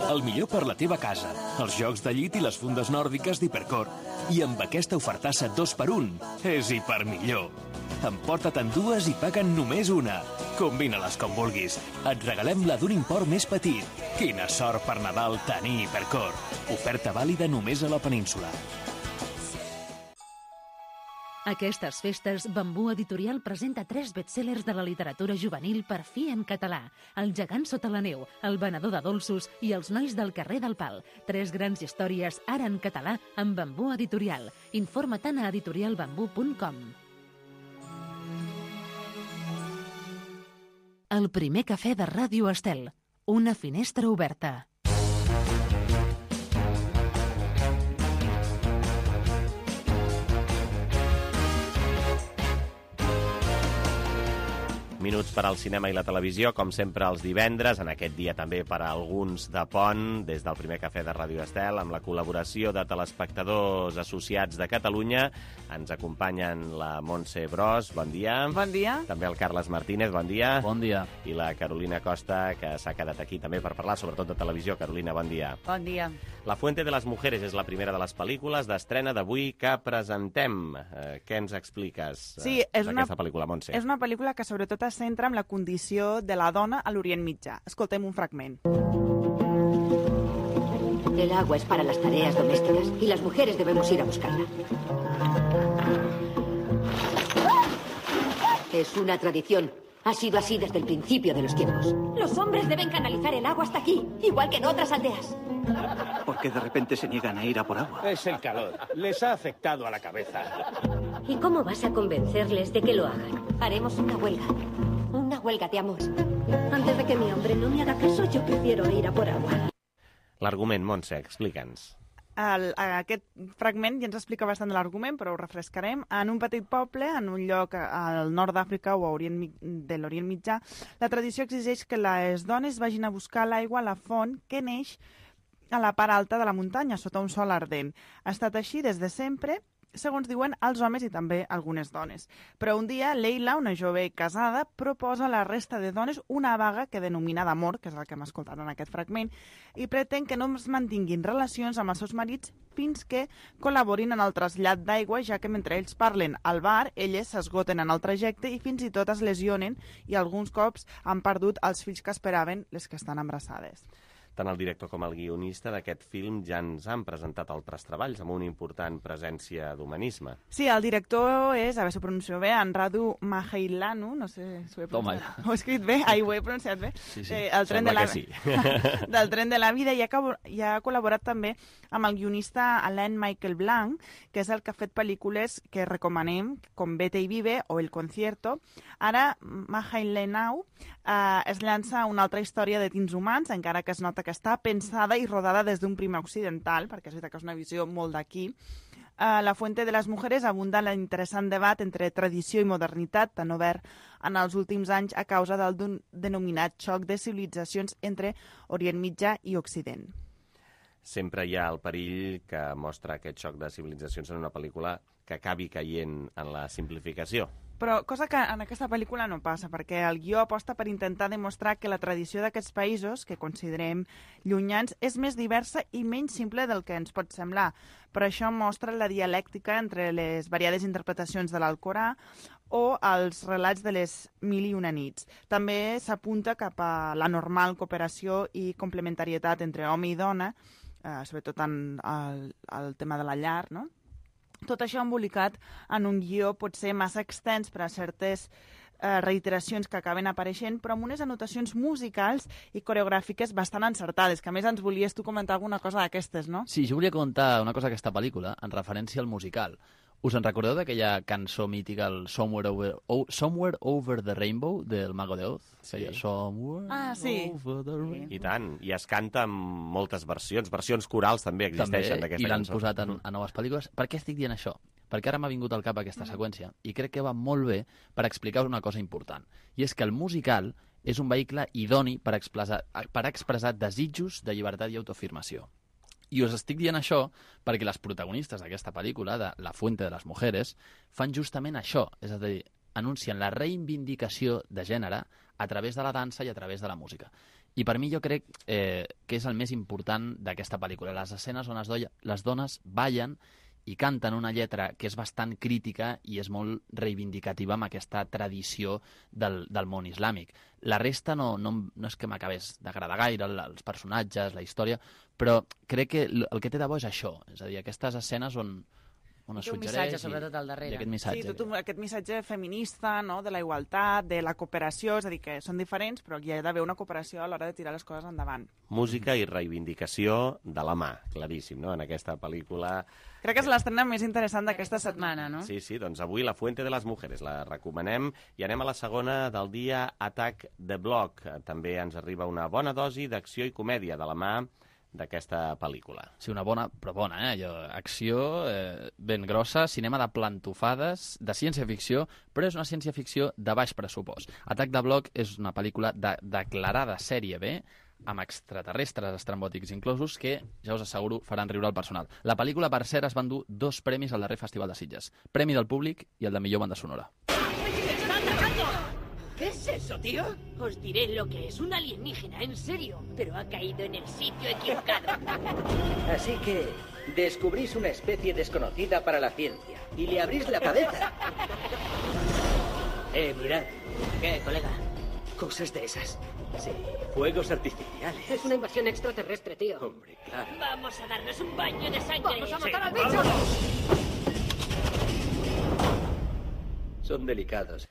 El millor per la teva casa, els jocs de llit i les fundes nòrdiques d'Hipercor. I amb aquesta ofertassa 2x1 és hipermillor. Emporta-te'n dues i paguen només una. Combina-les com vulguis. Et regalem la d'un import més petit. Quina sort per Nadal tenir Hipercor. Oferta vàlida només a la península. Aquestes festes, Bambú Editorial presenta 3 bestsellers de la literatura juvenil per fi en català. El gegant sota la neu, El venedor de dolços i Els nois del carrer del Pal. 3 grans històries ara en català amb Bambú Editorial. Informa-te'n a editorialbambú.com. El primer cafè de Ràdio Estel. Una finestra oberta. Minuts per al cinema i la televisió, com sempre els divendres, en aquest dia també per a alguns de pont, des del primer cafè de Ràdio Estel, amb la col·laboració de telespectadors associats de Catalunya. Ens acompanyen la Montse Bros, bon dia. Bon dia. També el Carles Martínez, bon dia. Bon dia. I la Carolina Costa, que s'ha quedat aquí també per parlar, sobretot de televisió. Carolina, bon dia. Bon dia. La Fuente de las Mujeres és la primera de les pel·lícules d'estrena d'avui que presentem. Què ens expliques d'aquesta pel·lícula, Montse? És una pel·lícula que sobretot es centra en la condició de la dona a l'Orient Mitjà. Escoltem un fragment. El agua es para las tareas domésticas y las mujeres debemos ir a buscarla. Es una tradición. Ha sido así desde el principio de los tiempos. Los hombres deben canalizar el agua hasta aquí, igual que en otras aldeas. ¿Por qué de repente se niegan a ir a por agua? Es el calor. Les ha afectado a la cabeza. ¿Y cómo vas a convencerles de que lo hagan? Haremos una huelga. Una huelga de amor. Antes de que mi hombre no me haga caso, yo prefiero ir a por agua. L'argument, Montse, explica'ns. Aquest fragment ja ens explica bastant de l'argument, però ho refrescarem. En un petit poble, en un lloc al nord d'Àfrica o a de l'Orient Mitjà, la tradició exigeix que les dones vagin a buscar l'aigua a la font que neix a la part alta de la muntanya, sota un sol ardent. Ha estat així des de sempre, segons diuen els homes i també algunes dones. Però un dia, Leila, una jove casada, proposa a la resta de dones una vaga que denomina d'amor, que és el que hem escoltat en aquest fragment, i pretén que no es mantinguin relacions amb els seus marits fins que col·laborin en el trasllat d'aigua, ja que mentre ells parlen al bar, elles s'esgoten en el trajecte i fins i tot es lesionen i alguns cops han perdut els fills que esperaven les que estan embarassades. Tant el director com el guionista d'aquest film ja ens han presentat altres treballs amb una important presència d'humanisme. Sí, el director és, a veure si ho pronuncio bé, Anradu Maheilanu, no sé si ho he pronunciat. Ho he escrit bé? Ho he pronunciat bé? Sí, el tren de la... sí. Del tren de la vida, i ha col·laborat també amb el guionista Alain Michael Blanc, que és el que ha fet pel·lícules que recomanem, com Vete y Vive o El Concierto. Ara, Mahailenau es llança una altra història de tins humans, encara que es nota que està pensada i rodada des d'un primer occidental, perquè és veritat que és una visió molt d'aquí. A La Fuente de les Mujeres abunda l'interessant debat entre tradició i modernitat, tan obert en els últims anys a causa del denominat xoc de civilitzacions entre Orient Mitjà i Occident. Sempre hi ha el perill que mostra aquest xoc de civilitzacions en una pel·lícula que acabi caient en la simplificació. Però cosa que en aquesta pel·lícula no passa, perquè el guió aposta per intentar demostrar que la tradició d'aquests països, que considerem llunyans, és més diversa i menys simple del que ens pot semblar. Per això mostra la dialèctica entre les variades interpretacions de l'Alcorà o els relats de les Mil i una nits. També s'apunta cap a la normal cooperació i complementarietat entre home i dona, sobretot en el tema de la llar, no? Tot això embolicat en un guió potser massa extens per a certes reiteracions que acaben apareixent, però amb unes anotacions musicals i coreogràfiques bastant encertades, que a més ens volies tu comentar alguna cosa d'aquestes, no? Sí, jo volia comentar una cosa d'aquesta pel·lícula en referència al musical. Us en recordeu d'aquella cançó mítica, el Somewhere Over the Rainbow, del Mago de Oz? Sí. Sí. Over the Rainbow. I tant, i es canta en moltes versions corals també existeixen d'aquesta cançó. I l'han posat a noves pel·lícules. Per què estic dient això? Perquè ara m'ha vingut al cap aquesta seqüència i crec que va molt bé per explicar una cosa important. I és que el musical és un vehicle idoni per expressar desitjos de llibertat i autoafirmació. I us estic dient això perquè les protagonistes d'aquesta pel·lícula, de La Fuente de les Mujeres, fan justament això, és a dir, anuncien la reivindicació de gènere a través de la dansa i a través de la música. I per mi jo crec que és el més important d'aquesta pel·lícula, les escenes on les dones ballen i canten una lletra que és bastant crítica i és molt reivindicativa amb aquesta tradició del món islàmic. La resta no és que m'acabés d'agradar gaire, els personatges, la història, però crec que el que té de bo és això, és a dir, aquestes escenes on es té un suggereix... missatge, sobretot, al darrere. Aquest missatge. Sí, aquest missatge feminista, no?, de la igualtat, de la cooperació, és a dir, que són diferents, però hi ha d'haver una cooperació a l'hora de tirar les coses endavant. Música i reivindicació de la mà, claríssim, no?, en aquesta pel·lícula. Crec que és l'estrena més interessant d'aquesta setmana, no? Sí, doncs avui La Fuente de les Mujeres la recomanem i anem a la segona del dia, Attack the Block. També ens arriba una bona dosi d'acció i comèdia de la mà d'aquesta pel·lícula. Sí, una bona, però bona, acció ben grossa, cinema de plantofades, de ciència-ficció, però és una ciència-ficció de baix pressupost. Attack the Block és una pel·lícula declarada sèrie B, amb extraterrestres estrambòtics inclosos, que, ja us asseguro, faran riure al personal. La pel·lícula, per cert, es va endur 2 premis al darrer Festival de Sitges. Premi del públic i el de millor banda sonora. ¿Qué es eso, tío? Os diré lo que es un alienígena, en serio, pero ha caído en el sitio equivocado. Así que descubrís una especie desconocida para la ciencia y le abrís la cabeza. Mirad. ¿Qué, colega? Cosas de esas. Sí, fuegos artificiales. Es una invasión extraterrestre, tío. Hombre, claro. Vamos a darnos un baño de sangre. ¡Vamos a matar al bicho! Son delicados.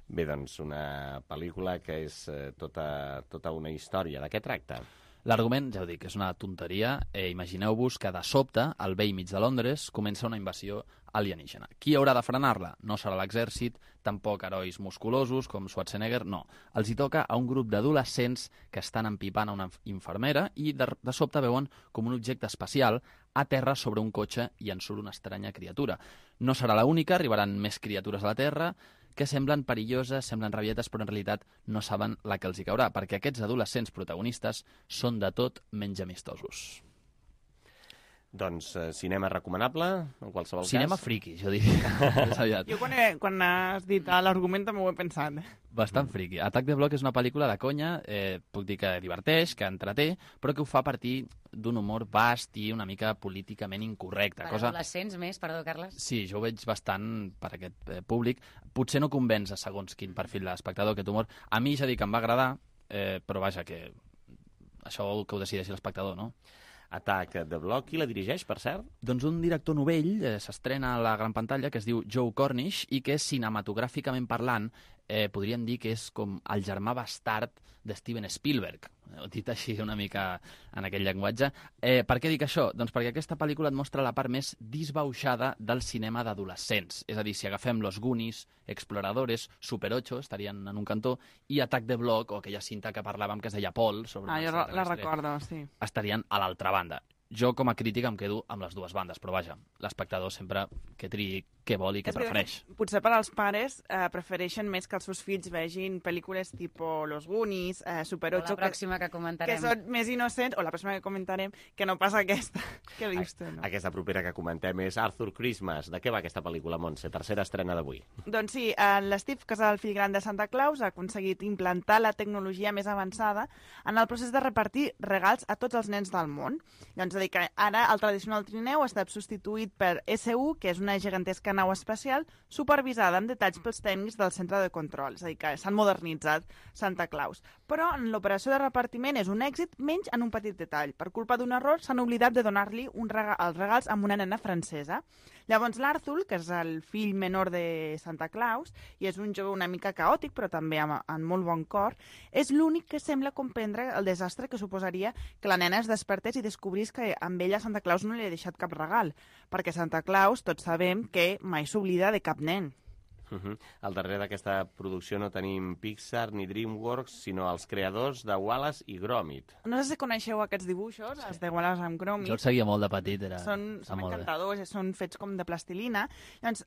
Bé, doncs, una pel·lícula que és tota una història. De què tracta? L'argument, ja ho dic, és una tonteria. Imagineu-vos que de sobte, al vell mig de Londres, comença una invasió alienígena. Qui haurà de frenar-la? No serà l'exèrcit, tampoc herois musculosos com Schwarzenegger, no. Els hi toca a un grup d'adolescents que estan empipant a una infermera i de sobte veuen com un objecte espacial a terra sobre un cotxe i en surt una estranya criatura. No serà l'única, arribaran més criatures a la Terra que semblen perilloses, semblen rabietes, però en realitat no saben la que els hi caurà, perquè aquests adolescents protagonistes són de tot menys amistosos. Doncs cinema recomanable, en qualsevol cas? Cinema friki, jo diria. Jo quan has dit l'argument també ho he pensat. Bastant friki. Attack the Block és una pel·lícula de conya, puc dir que diverteix, que entreté, però que ho fa a partir d'un humor vast i una mica políticament incorrecte. Per adolescents més, perdó, Carles? Sí, jo ho veig bastant per aquest públic. Potser no convenç a segons quin perfil d'espectador aquest humor. A mi ja dic que em va agradar, però vaja, que això que ho decideixi l'espectador, no? Attack the Block, qui la dirigeix, per cert? Doncs un director novell s'estrena a la gran pantalla que es diu Joe Cornish i que cinematogràficament parlant podríem dir que és com el germà bastard de Steven Spielberg, dit així una mica en aquell llenguatge. Per què dic això? Doncs perquè aquesta pel·lícula et mostra la part més disbauxada del cinema d'adolescents. És a dir, si agafem Los Goonies, Exploradores, Super 8, estarien en un cantó, i Attack the Block, o aquella cinta que parlàvem que es deia Paul, sobre jo la recordo, sí. estarien a l'altra banda. jo com a crític em quedo amb les dues bandes, però vaja, l'espectador sempre que triï què vol i què prefereix. Potser per als pares prefereixen més que els seus fills vegin pel·lícules tipus Los Goonies, Super 8... O la pròxima que comentarem. Que són més innocents, o la pròxima que comentarem, que no passa aquesta. Què dius tu, no? Aquesta propera que comentem és Arthur Christmas. De què va aquesta pel·lícula, Montse? Tercera estrena d'avui. Doncs sí, l'Steve, que és el fill gran de Santa Claus, ha aconseguit implantar la tecnologia més avançada en el procés de repartir regals a tots els nens del món. Doncs a dir que ara el tradicional trineu ha estat substituït per SU, que és una gegantesca nau espacial supervisada amb detalls pels tècnics del centre de control. És a dir, que s'han modernitzat Santa Claus. Però en l'operació de repartiment és un èxit, menys en un petit detall. Per culpa d'un error s'han oblidat de donar-li els regals amb una nena francesa. Llavors l'Arthur, que és el fill menor de Santa Claus, i és un jove una mica caòtic, però també amb molt bon cor, és l'únic que sembla comprendre el desastre que suposaria que la nena es despertés i descobrís que amb ella Santa Claus no li ha deixat cap regal, perquè Santa Claus tots sabem que mai s'oblida de cap nen. Al darrere d'aquesta producció no tenim Pixar ni DreamWorks, sinó els creadors de Wallace i Gromit. No sé si coneixeu aquests dibuixos, els de Wallace and Gromit. Jo els seguia molt de petit. Són encantadors, són fets com de plastilina. Llavors,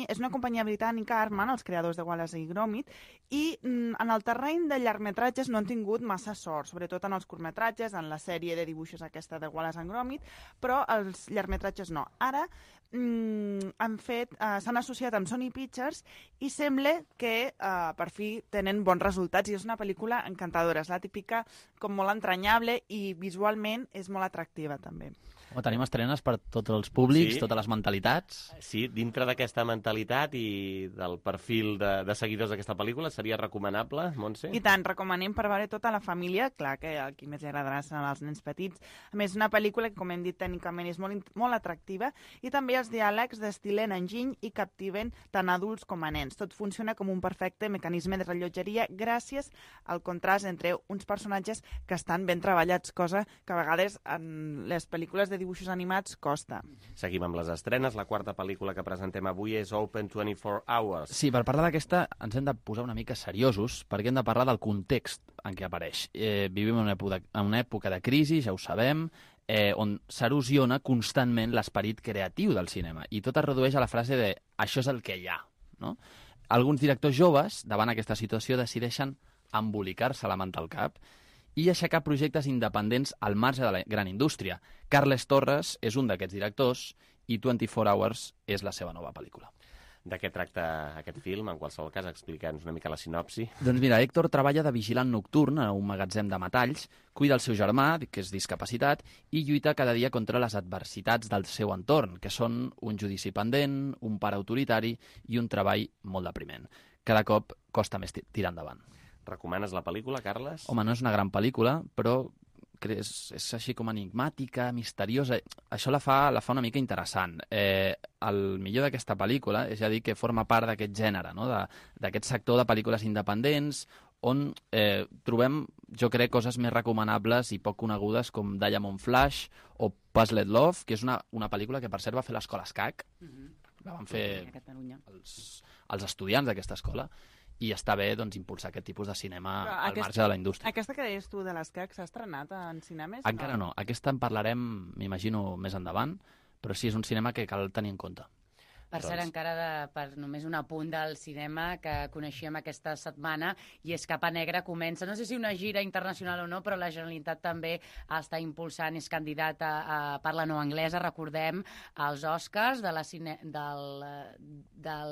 és una companyia britànica, Aardman, els creadors de Wallace i Gromit, i en el terreny de llargmetratges no han tingut massa sort, sobretot en els curtmetratges, en la sèrie de dibuixos aquesta de Wallace and Gromit, però els llargmetratges no. Ara s'han associat amb Sony Pictures i sembla que per fi tenen bons resultats i és una pel·lícula encantadora. És la típica com molt entranyable i visualment és molt atractiva també. Tenim estrenes per tots els públics, totes les mentalitats. Sí, dintre d'aquesta mentalitat i del perfil de seguidors d'aquesta pel·lícula, seria recomanable, Montse? I tant, recomanem per veure tota la família, clar que a qui més li agradarà seran els nens petits. A més, una pel·lícula que, com hem dit tècnicament, és molt atractiva i també els diàlegs destilen enginy i captiven tant adults com a nens. Tot funciona com un perfecte mecanisme de rellotgeria gràcies al contrast entre uns personatges que estan ben treballats, cosa que a vegades en les pel·lícules de dibuixos animats costa. Seguim amb les estrenes. La quarta pel·lícula que presentem avui és Open 24 Hours. Sí, per parlar d'aquesta ens hem de posar una mica seriosos perquè hem de parlar del context en què apareix. Vivim en una època de crisi, ja ho sabem, on s'erosiona constantment l'esperit creatiu del cinema i tot es redueix a la frase de «això és el que hi ha». No? Alguns directors joves, davant aquesta situació, decideixen embolicar-se la manta al cap i aixecar projectes independents al marge de la gran indústria. Carles Torres és un d'aquests directors i 24 Hours és la seva nova pel·lícula. De què tracta aquest film? En qualsevol cas, explica'ns una mica la sinopsi. Doncs mira, Héctor treballa de vigilant nocturn a un magatzem de metalls, cuida el seu germà, que és discapacitat, i lluita cada dia contra les adversitats del seu entorn, que són un judici pendent, un pare autoritari i un treball molt depriment. Cada cop costa més tirar endavant. Recomanes la pel·lícula, Carles? Home, no és una gran pel·lícula, però és així com enigmàtica, misteriosa. Això la fa una mica interessant. El millor d'aquesta pel·lícula és ja dir que forma part d'aquest gènere, no? D'aquest sector de pel·lícules independents on trobem, jo crec, coses més recomanables i poc conegudes com Diamond Flash o Puzzled Love, que és una pel·lícula que, per cert, va fer l'escola SCAC. La van fer els estudiants d'aquesta escola. I està bé doncs, impulsar aquest tipus de cinema al marge de la indústria. Aquesta que deies tu de l'ESCAC s'ha estrenat en cinemes? Encara no. Aquesta en parlarem, m'imagino, més endavant, però sí, és un cinema que cal tenir en compte. Per cert, encara per només un apunt del cinema que coneixíem aquesta setmana, i és Capa Negra comença, no sé si una gira internacional o no, però la Generalitat també està impulsant, és candidat a parla no anglesa, recordem, als Oscars de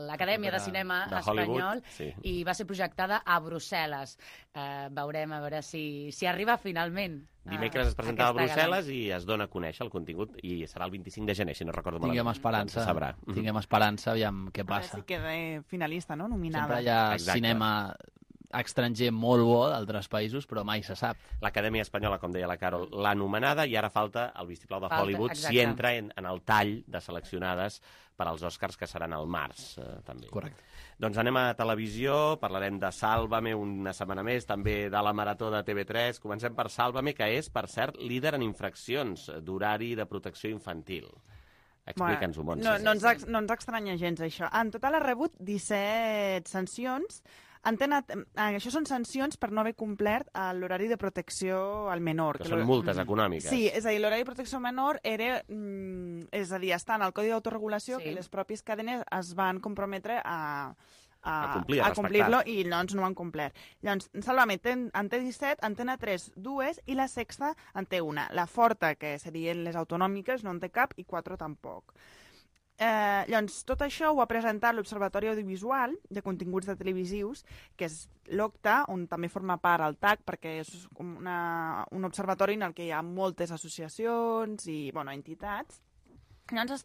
l'Acadèmia de Cinema Espanyol, i va ser projectada a Brussel·les. Veurem a veure si arriba finalment. Dimecres es presentava a Brussel·les i es dona a conèixer el contingut i serà el 25 de gener, si no recordo malament. Tinguem esperança, aviam què passa. Si queda finalista, no? Nominada. Sempre hi ha cinema estranger molt bo d'altres països, però mai se sap. L'Acadèmia Espanyola, com deia la Carol, l'ha anomenada i ara falta el vistiplau de Hollywood si entra en el tall de seleccionades per als Oscars, que seran al març, també. Correcte. Doncs anem a televisió, parlarem de Sálvame una setmana més, també de la Marató de TV3. Comencem per Sálvame, que és, per cert, líder en infraccions d'horari de protecció infantil. Explica'ns-ho, Montse. No ens estranya gens, això. En total ha rebut 17 sancions Això són sancions per no haver complert l'horari de protecció al menor. Que són multes econòmiques. Sí, és a dir, l'horari de protecció al menor era... és a dir, està en el Codi d'Autoregulació que les pròpies cadenes es van comprometre a complir-lo i doncs no ho han complert. Llavors, Sálvame en té 17, Antena 3 2 i La Sexta en té una. La Forta, que serien les autonòmiques, no en té cap i 4 tampoc. Llavors, tot això ho ha presentat l'Observatori Audiovisual de Continguts de Televisius, que és l'OCTA, on també forma part el TAC, perquè és un observatori en el que hi ha moltes associacions i entitats. Llavors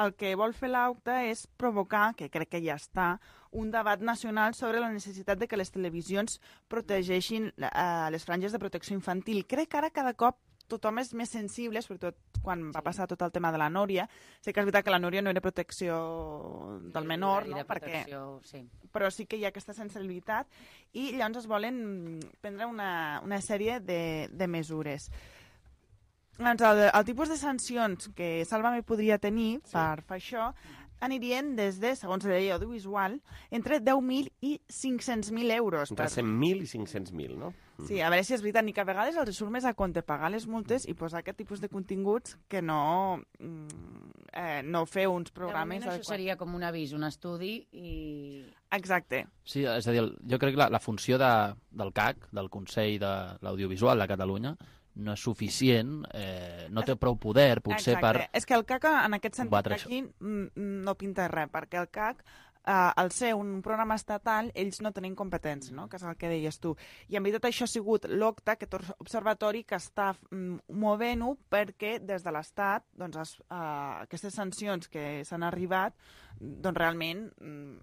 el que vol fer l'OCTA és provocar, que crec que ja està, un debat nacional sobre la necessitat de que les televisions protegeixin les franges de protecció infantil. Crec que ara cada cop tothom és més sensible, sobretot quan va passar tot el tema de la Núria. Sé que és veritat que la Núria no era protecció del menor, no? Però sí que hi ha aquesta sensibilitat i llavors es volen prendre una sèrie de mesures. El tipus de sancions que Sálvame podria tenir per fer això anirien des de, segons la llei audiovisual, entre 10.000 i 500.000 euros. Entre 100.000 i 500.000, no? Sí, a veure si és veritat, ni que a vegades els surt més a compte pagar les multes i posar aquest tipus de continguts que no fer uns programes... Això seria com un avís, un estudi i... Exacte. Sí, és a dir, jo crec que la funció del CAC, del Consell de l'Audiovisual de Catalunya, no és suficient, no té prou poder, potser per... És que el CAC, en aquest sentit, aquí no pinta res, perquè el CAC, al ser un programa estatal, ells no tenen competència, no? Que és el que deies tu. I en veritat això ha sigut l'OCTA, aquest observatori que està movent-ho perquè des de l'Estat aquestes sancions que s'han arribat realment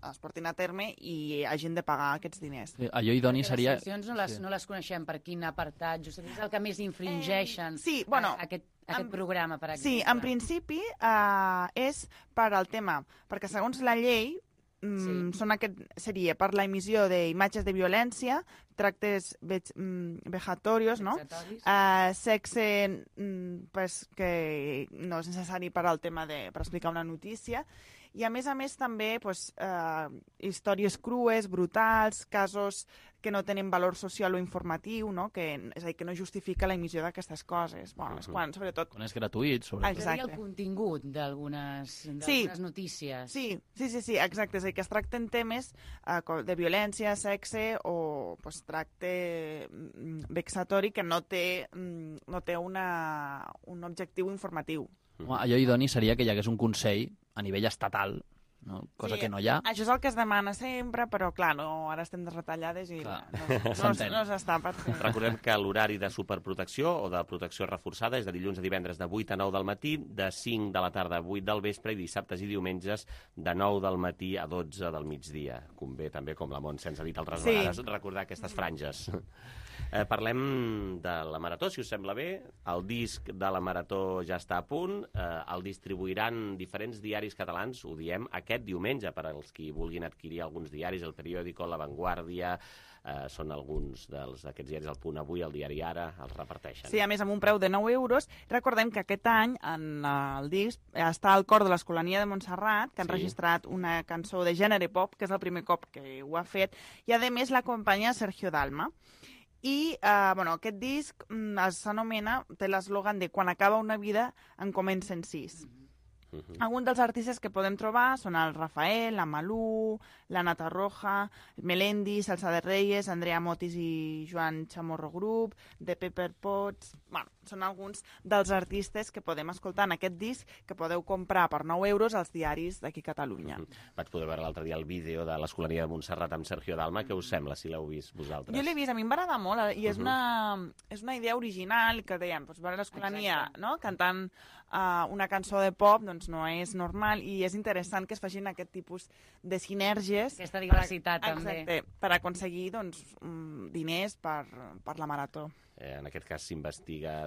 es portin a terme i hagin de pagar aquests diners. Allò idoni seria... Les sancions no les coneixem per quin apartat, just és el que més infringeixen aquest programa, per exemple. Sí, en principi és per al tema, perquè segons la llei seria per la emissió d'imatges de violència, tractes vejatorios, no? Sexe que no és necessari per al tema per explicar una notícia, i a més també històries crues, brutals, casos que no tenen valor social o informatiu, no? És a dir, que no justifica la emissió d'aquestes coses. Sobretot... Quan és gratuït, sobretot. Exacte. El contingut d'algunes notícies. Sí, exacte. És a dir, que es tracten temes de violència, sexe o tracte vexatori que no té un objectiu informatiu. Allò idoni seria que hi hagués un consell a nivell estatal, no? Cosa que no hi ha. Això és el que es demana sempre, però clar, ara estem de retallades i no s'està per fer. Recordem que l'horari de superprotecció o de protecció reforçada és de dilluns a divendres de 8 a 9 del matí, de 5 de la tarda a 8 del vespre i dissabtes i diumenges de 9 del matí a 12 del migdia. Convé també, com la Montse ens ha dit altres vegades, recordar aquestes franges. Parlem de la Marató, si us sembla bé. El disc de la Marató ja està a punt. El distribuiran diferents diaris catalans, ho diem, aquest diumenge, per als qui vulguin adquirir alguns diaris, El Periódico, La Vanguardia, són alguns d'aquests diaris, El Punt Avui, El Diari Ara, els reparteixen. Sí, a més, amb un preu de 9 euros. Recordem que aquest any, en el disc, està el cor de l'Escolania de Montserrat, que han registrat una cançó de gènere pop, que és el primer cop que ho ha fet, i a més l'acompanya Sergio Dalma. I aquest disc s'anomena, té l'eslògan de quan acaba una vida en comencen 6. Alguns dels artistes que podem trobar són el Rafael, la Malú, la Nata Roja, Melendi, Salsa de Reyes, Andrea Motis i Joan Chamorro Group, The Pepper Pots... Són alguns dels artistes que podem escoltar en aquest disc que podeu comprar per 9 euros als diaris d'aquí a Catalunya. Vaig poder veure l'altre dia el vídeo de l'Escolania de Montserrat amb Sergio Dalma. Què us sembla, si l'heu vist vosaltres? Jo l'he vist, a mi em va agradar molt i és una idea original que deien, veure l'Escolania cantant una cançó de pop no és normal i és interessant que es facin aquest tipus de sinergies. Aquesta diversitat també. Exacte, per aconseguir diners per la Marató. en aquest cas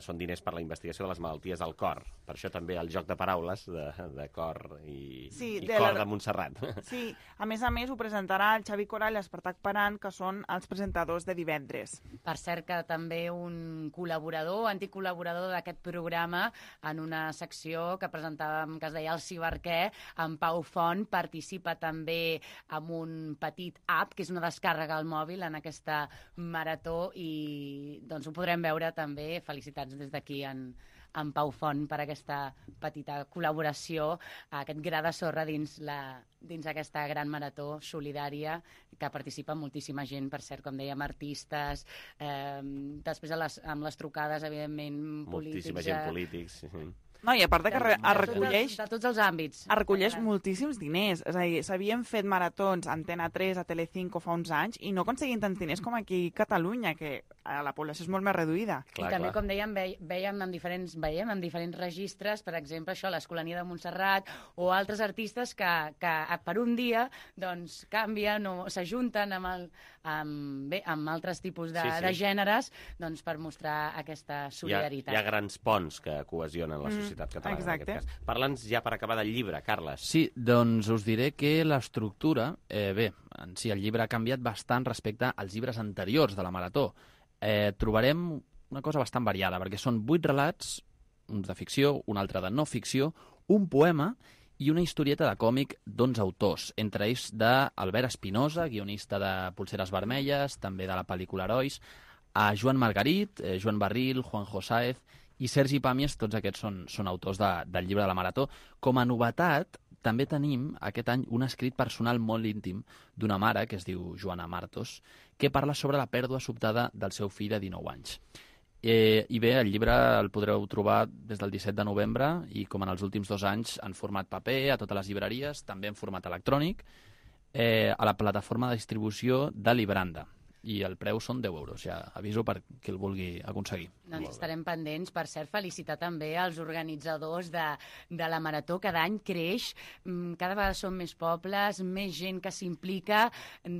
són diners per la investigació de les malalties del cor. Per això també el joc de paraules de cor i cor de Montserrat. Sí, a més ho presentarà el Xavi Coral i l'Espartac Paran, que són els presentadors de divendres. Per cert que també un col·laborador, antic col·laborador d'aquest programa, en una secció que presentàvem, que es deia El Ciberquer, en Pau Font, participa també amb un petit app, que és una descàrrega al mòbil en aquesta marató, i doncs ho podrem veure també. Felicitats des d'aquí en Pau Font per aquesta petita col·laboració, aquest gra de sorra dins aquesta gran marató solidària que participa moltíssima gent, per cert, com dèiem, artistes, després amb les trucades, evidentment, polítics. Moltíssima gent polítics, sí. No, i a part que recolleix... De tots els àmbits. Recolleix moltíssims diners. És a dir, s'havien fet maratons a Antena 3, a Telecinco fa uns anys, i no aconseguien tants diners com aquí a Catalunya, que la població és molt més reduïda. I també, com dèiem, veiem en diferents registres, per exemple, això, l'Escolania de Montserrat, o altres artistes que per un dia doncs, canvien o s'ajunten amb altres tipus de gèneres doncs, per mostrar aquesta solidaritat. Hi ha grans ponts que cohesionen la societat catalana, en aquest cas. Parla'ns ja per acabar del llibre, Carles. Sí, doncs us diré que l'estructura, en si el llibre ha canviat bastant respecte als llibres anteriors de la Marató. Trobarem una cosa bastant variada, perquè són 8 relats, uns de ficció, un altre de no ficció, un poema i una historieta de còmic d'11 autors, entre ells d'Albert Espinosa, guionista de Polseres Vermelles, també de la pel·lícula Herois, a Joan Margarit, Joan Barril, Juanjo Sáez i Sergi Pàmies. Tots aquests són autors del llibre de la Marató. Com a novetat, també tenim aquest any un escrit personal molt íntim d'una mare, que es diu Joana Martos, que parla sobre la pèrdua sobtada del seu fill de 19 anys. I bé, el llibre el podreu trobar des del 17 de novembre i, com en els últims 2 anys, en format paper, a totes les llibreries, també en format electrònic, a la plataforma de distribució de Libranda. I el preu són 10 euros, ja aviso per qui el vulgui aconseguir. Doncs estarem pendents. Per cert, felicitar també els organitzadors de la Marató. Cada any creix, cada vegada són més pobles, més gent que s'implica,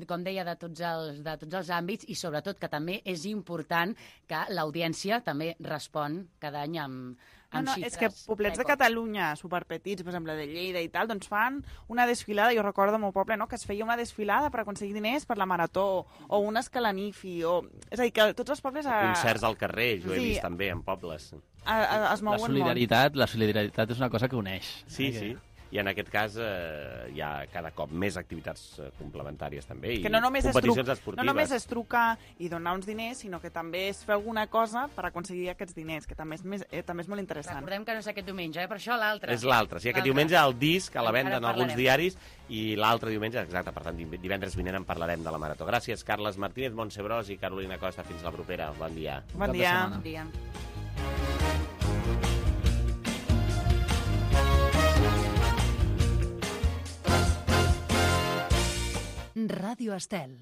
com deia, de tots els àmbits, i sobretot que també és important que l'audiència també respon cada any amb xifres. És que poblets de Catalunya, superpetits, per exemple, de Lleida i tal, doncs fan una desfilada. Jo recordo al meu poble, no?, que es feia una desfilada per aconseguir diners per la Marató, o un escalanifi, és a dir, que tots els pobles... Concerts al carrer, jo he vist també en pobles. Es mouen molt. La solidaritat és una cosa que uneix. Sí. I en aquest cas hi ha cada cop més activitats complementàries també, i competicions esportives. No només és trucar i donar uns diners, sinó que també és fer alguna cosa per aconseguir aquests diners, que també és molt interessant. Recordem que no és aquest diumenge, per això l'altre. És l'altre. Sí, aquest diumenge el disc a la venda en alguns diaris, i l'altre diumenge, exacte, per tant, divendres vinent en parlarem de la Marató. Gràcies, Carles Martínez, Montse Bros i Carolina Costa. Fins la propera. Bon dia. Bon dia. Ràdio Estel.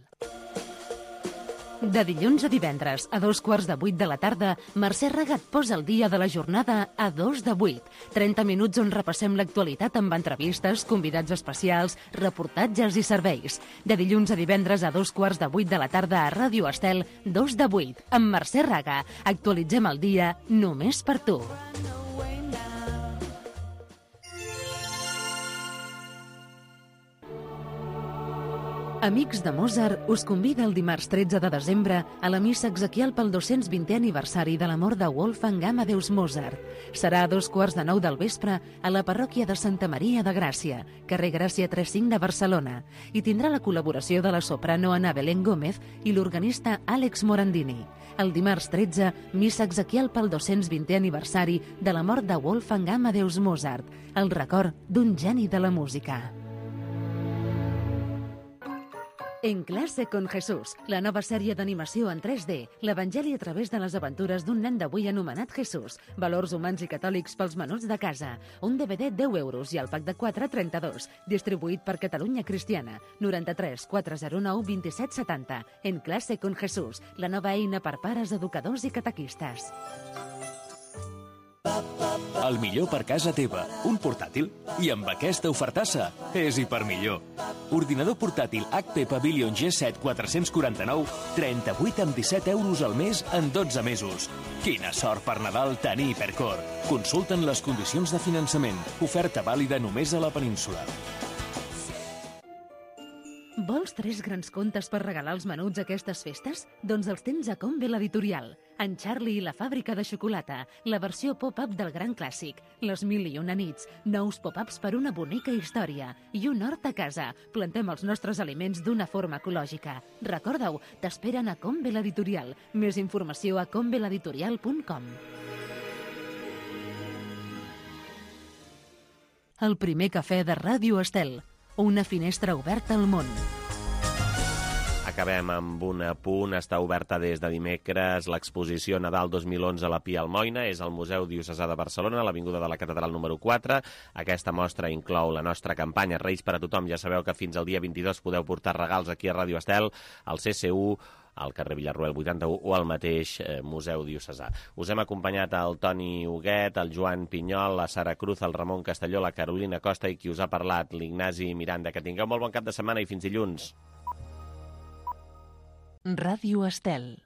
De dilluns a divendres, a 7:15 de la tarda, Mercè Regat posa el dia de la jornada a 7:02. 30 minuts on repassem l'actualitat amb entrevistes, convidats especials, reportatges i serveis. De dilluns a divendres a 7:15 de la tarda a Ràdio Estel, 7:02. Amb Mercè Regat actualitzem el dia només per tu. Amics de Mozart us convida el dimarts 13 de desembre a la missa exequial pel 220è aniversari de la mort de Wolfgang Amadeus Mozart. Serà a 8:45 del vespre a la parròquia de Santa Maria de Gràcia, carrer Gràcia 35 de Barcelona, i tindrà la col·laboració de la soprano Ana Belén Gómez i l'organista Àlex Morandini. El dimarts 13, missa exequial pel 220è aniversari de la mort de Wolfgang Amadeus Mozart, el record d'un geni de la música. En classe con Jesús, la nova sèrie d'animació en 3D, l'Evangeli a través de les aventures d'un nen d'avui anomenat Jesús, valors humans i catòlics pels menuts de casa, un DVD 10 euros i el pack de 4 32, distribuït per Catalunya Cristiana, 93 409 27 70. En classe con Jesús, la nova eina per pares, educadors i catequistes. El millor per casa teva, un portàtil. I amb aquesta ofertassa, és hipermillor. Ordinador portàtil HP Pavilion G7 449, 38 amb 17 euros al mes en 12 mesos. Quina sort per Nadal tenir Hipercor. Consulten les condicions de finançament. Oferta vàlida només a la península. Vols 3 grans contes per regalar als menuts aquestes festes? Doncs els tens a Combe l'Editorial. En Charlie i la fàbrica de xocolata, la versió pop-up del gran clàssic, les 1001 nits, nous pop-ups per una bonica història i un hort a casa. Plantem els nostres aliments d'una forma ecològica. Recorda-ho, t'esperen a Combe l'Editorial. Més informació a combeleditorial.com. El primer cafè de Ràdio Estel. Una finestra oberta al món. Acabem amb un apunt. Està oberta des de dimecres l'exposició Nadal 2011 a la Pia Almoina. És al Museu Diocesà de Barcelona, a l'Avinguda de la Catedral número 4. Aquesta mostra inclou la nostra campanya Reis per a tothom. Ja sabeu que fins al dia 22 podeu portar regals aquí a Ràdio Estel, al CCU, al carrer Villarroel 81 o al mateix Museu Diocesà. Us hem acompanyat el Toni Huguet, el Joan Pinyol, la Sara Cruz, el Ramon Castelló, la Carolina Costa i qui us ha parlat, l'Ignasi Miranda. Que tingueu molt bon cap de setmana i fins dilluns. Ràdio Estel.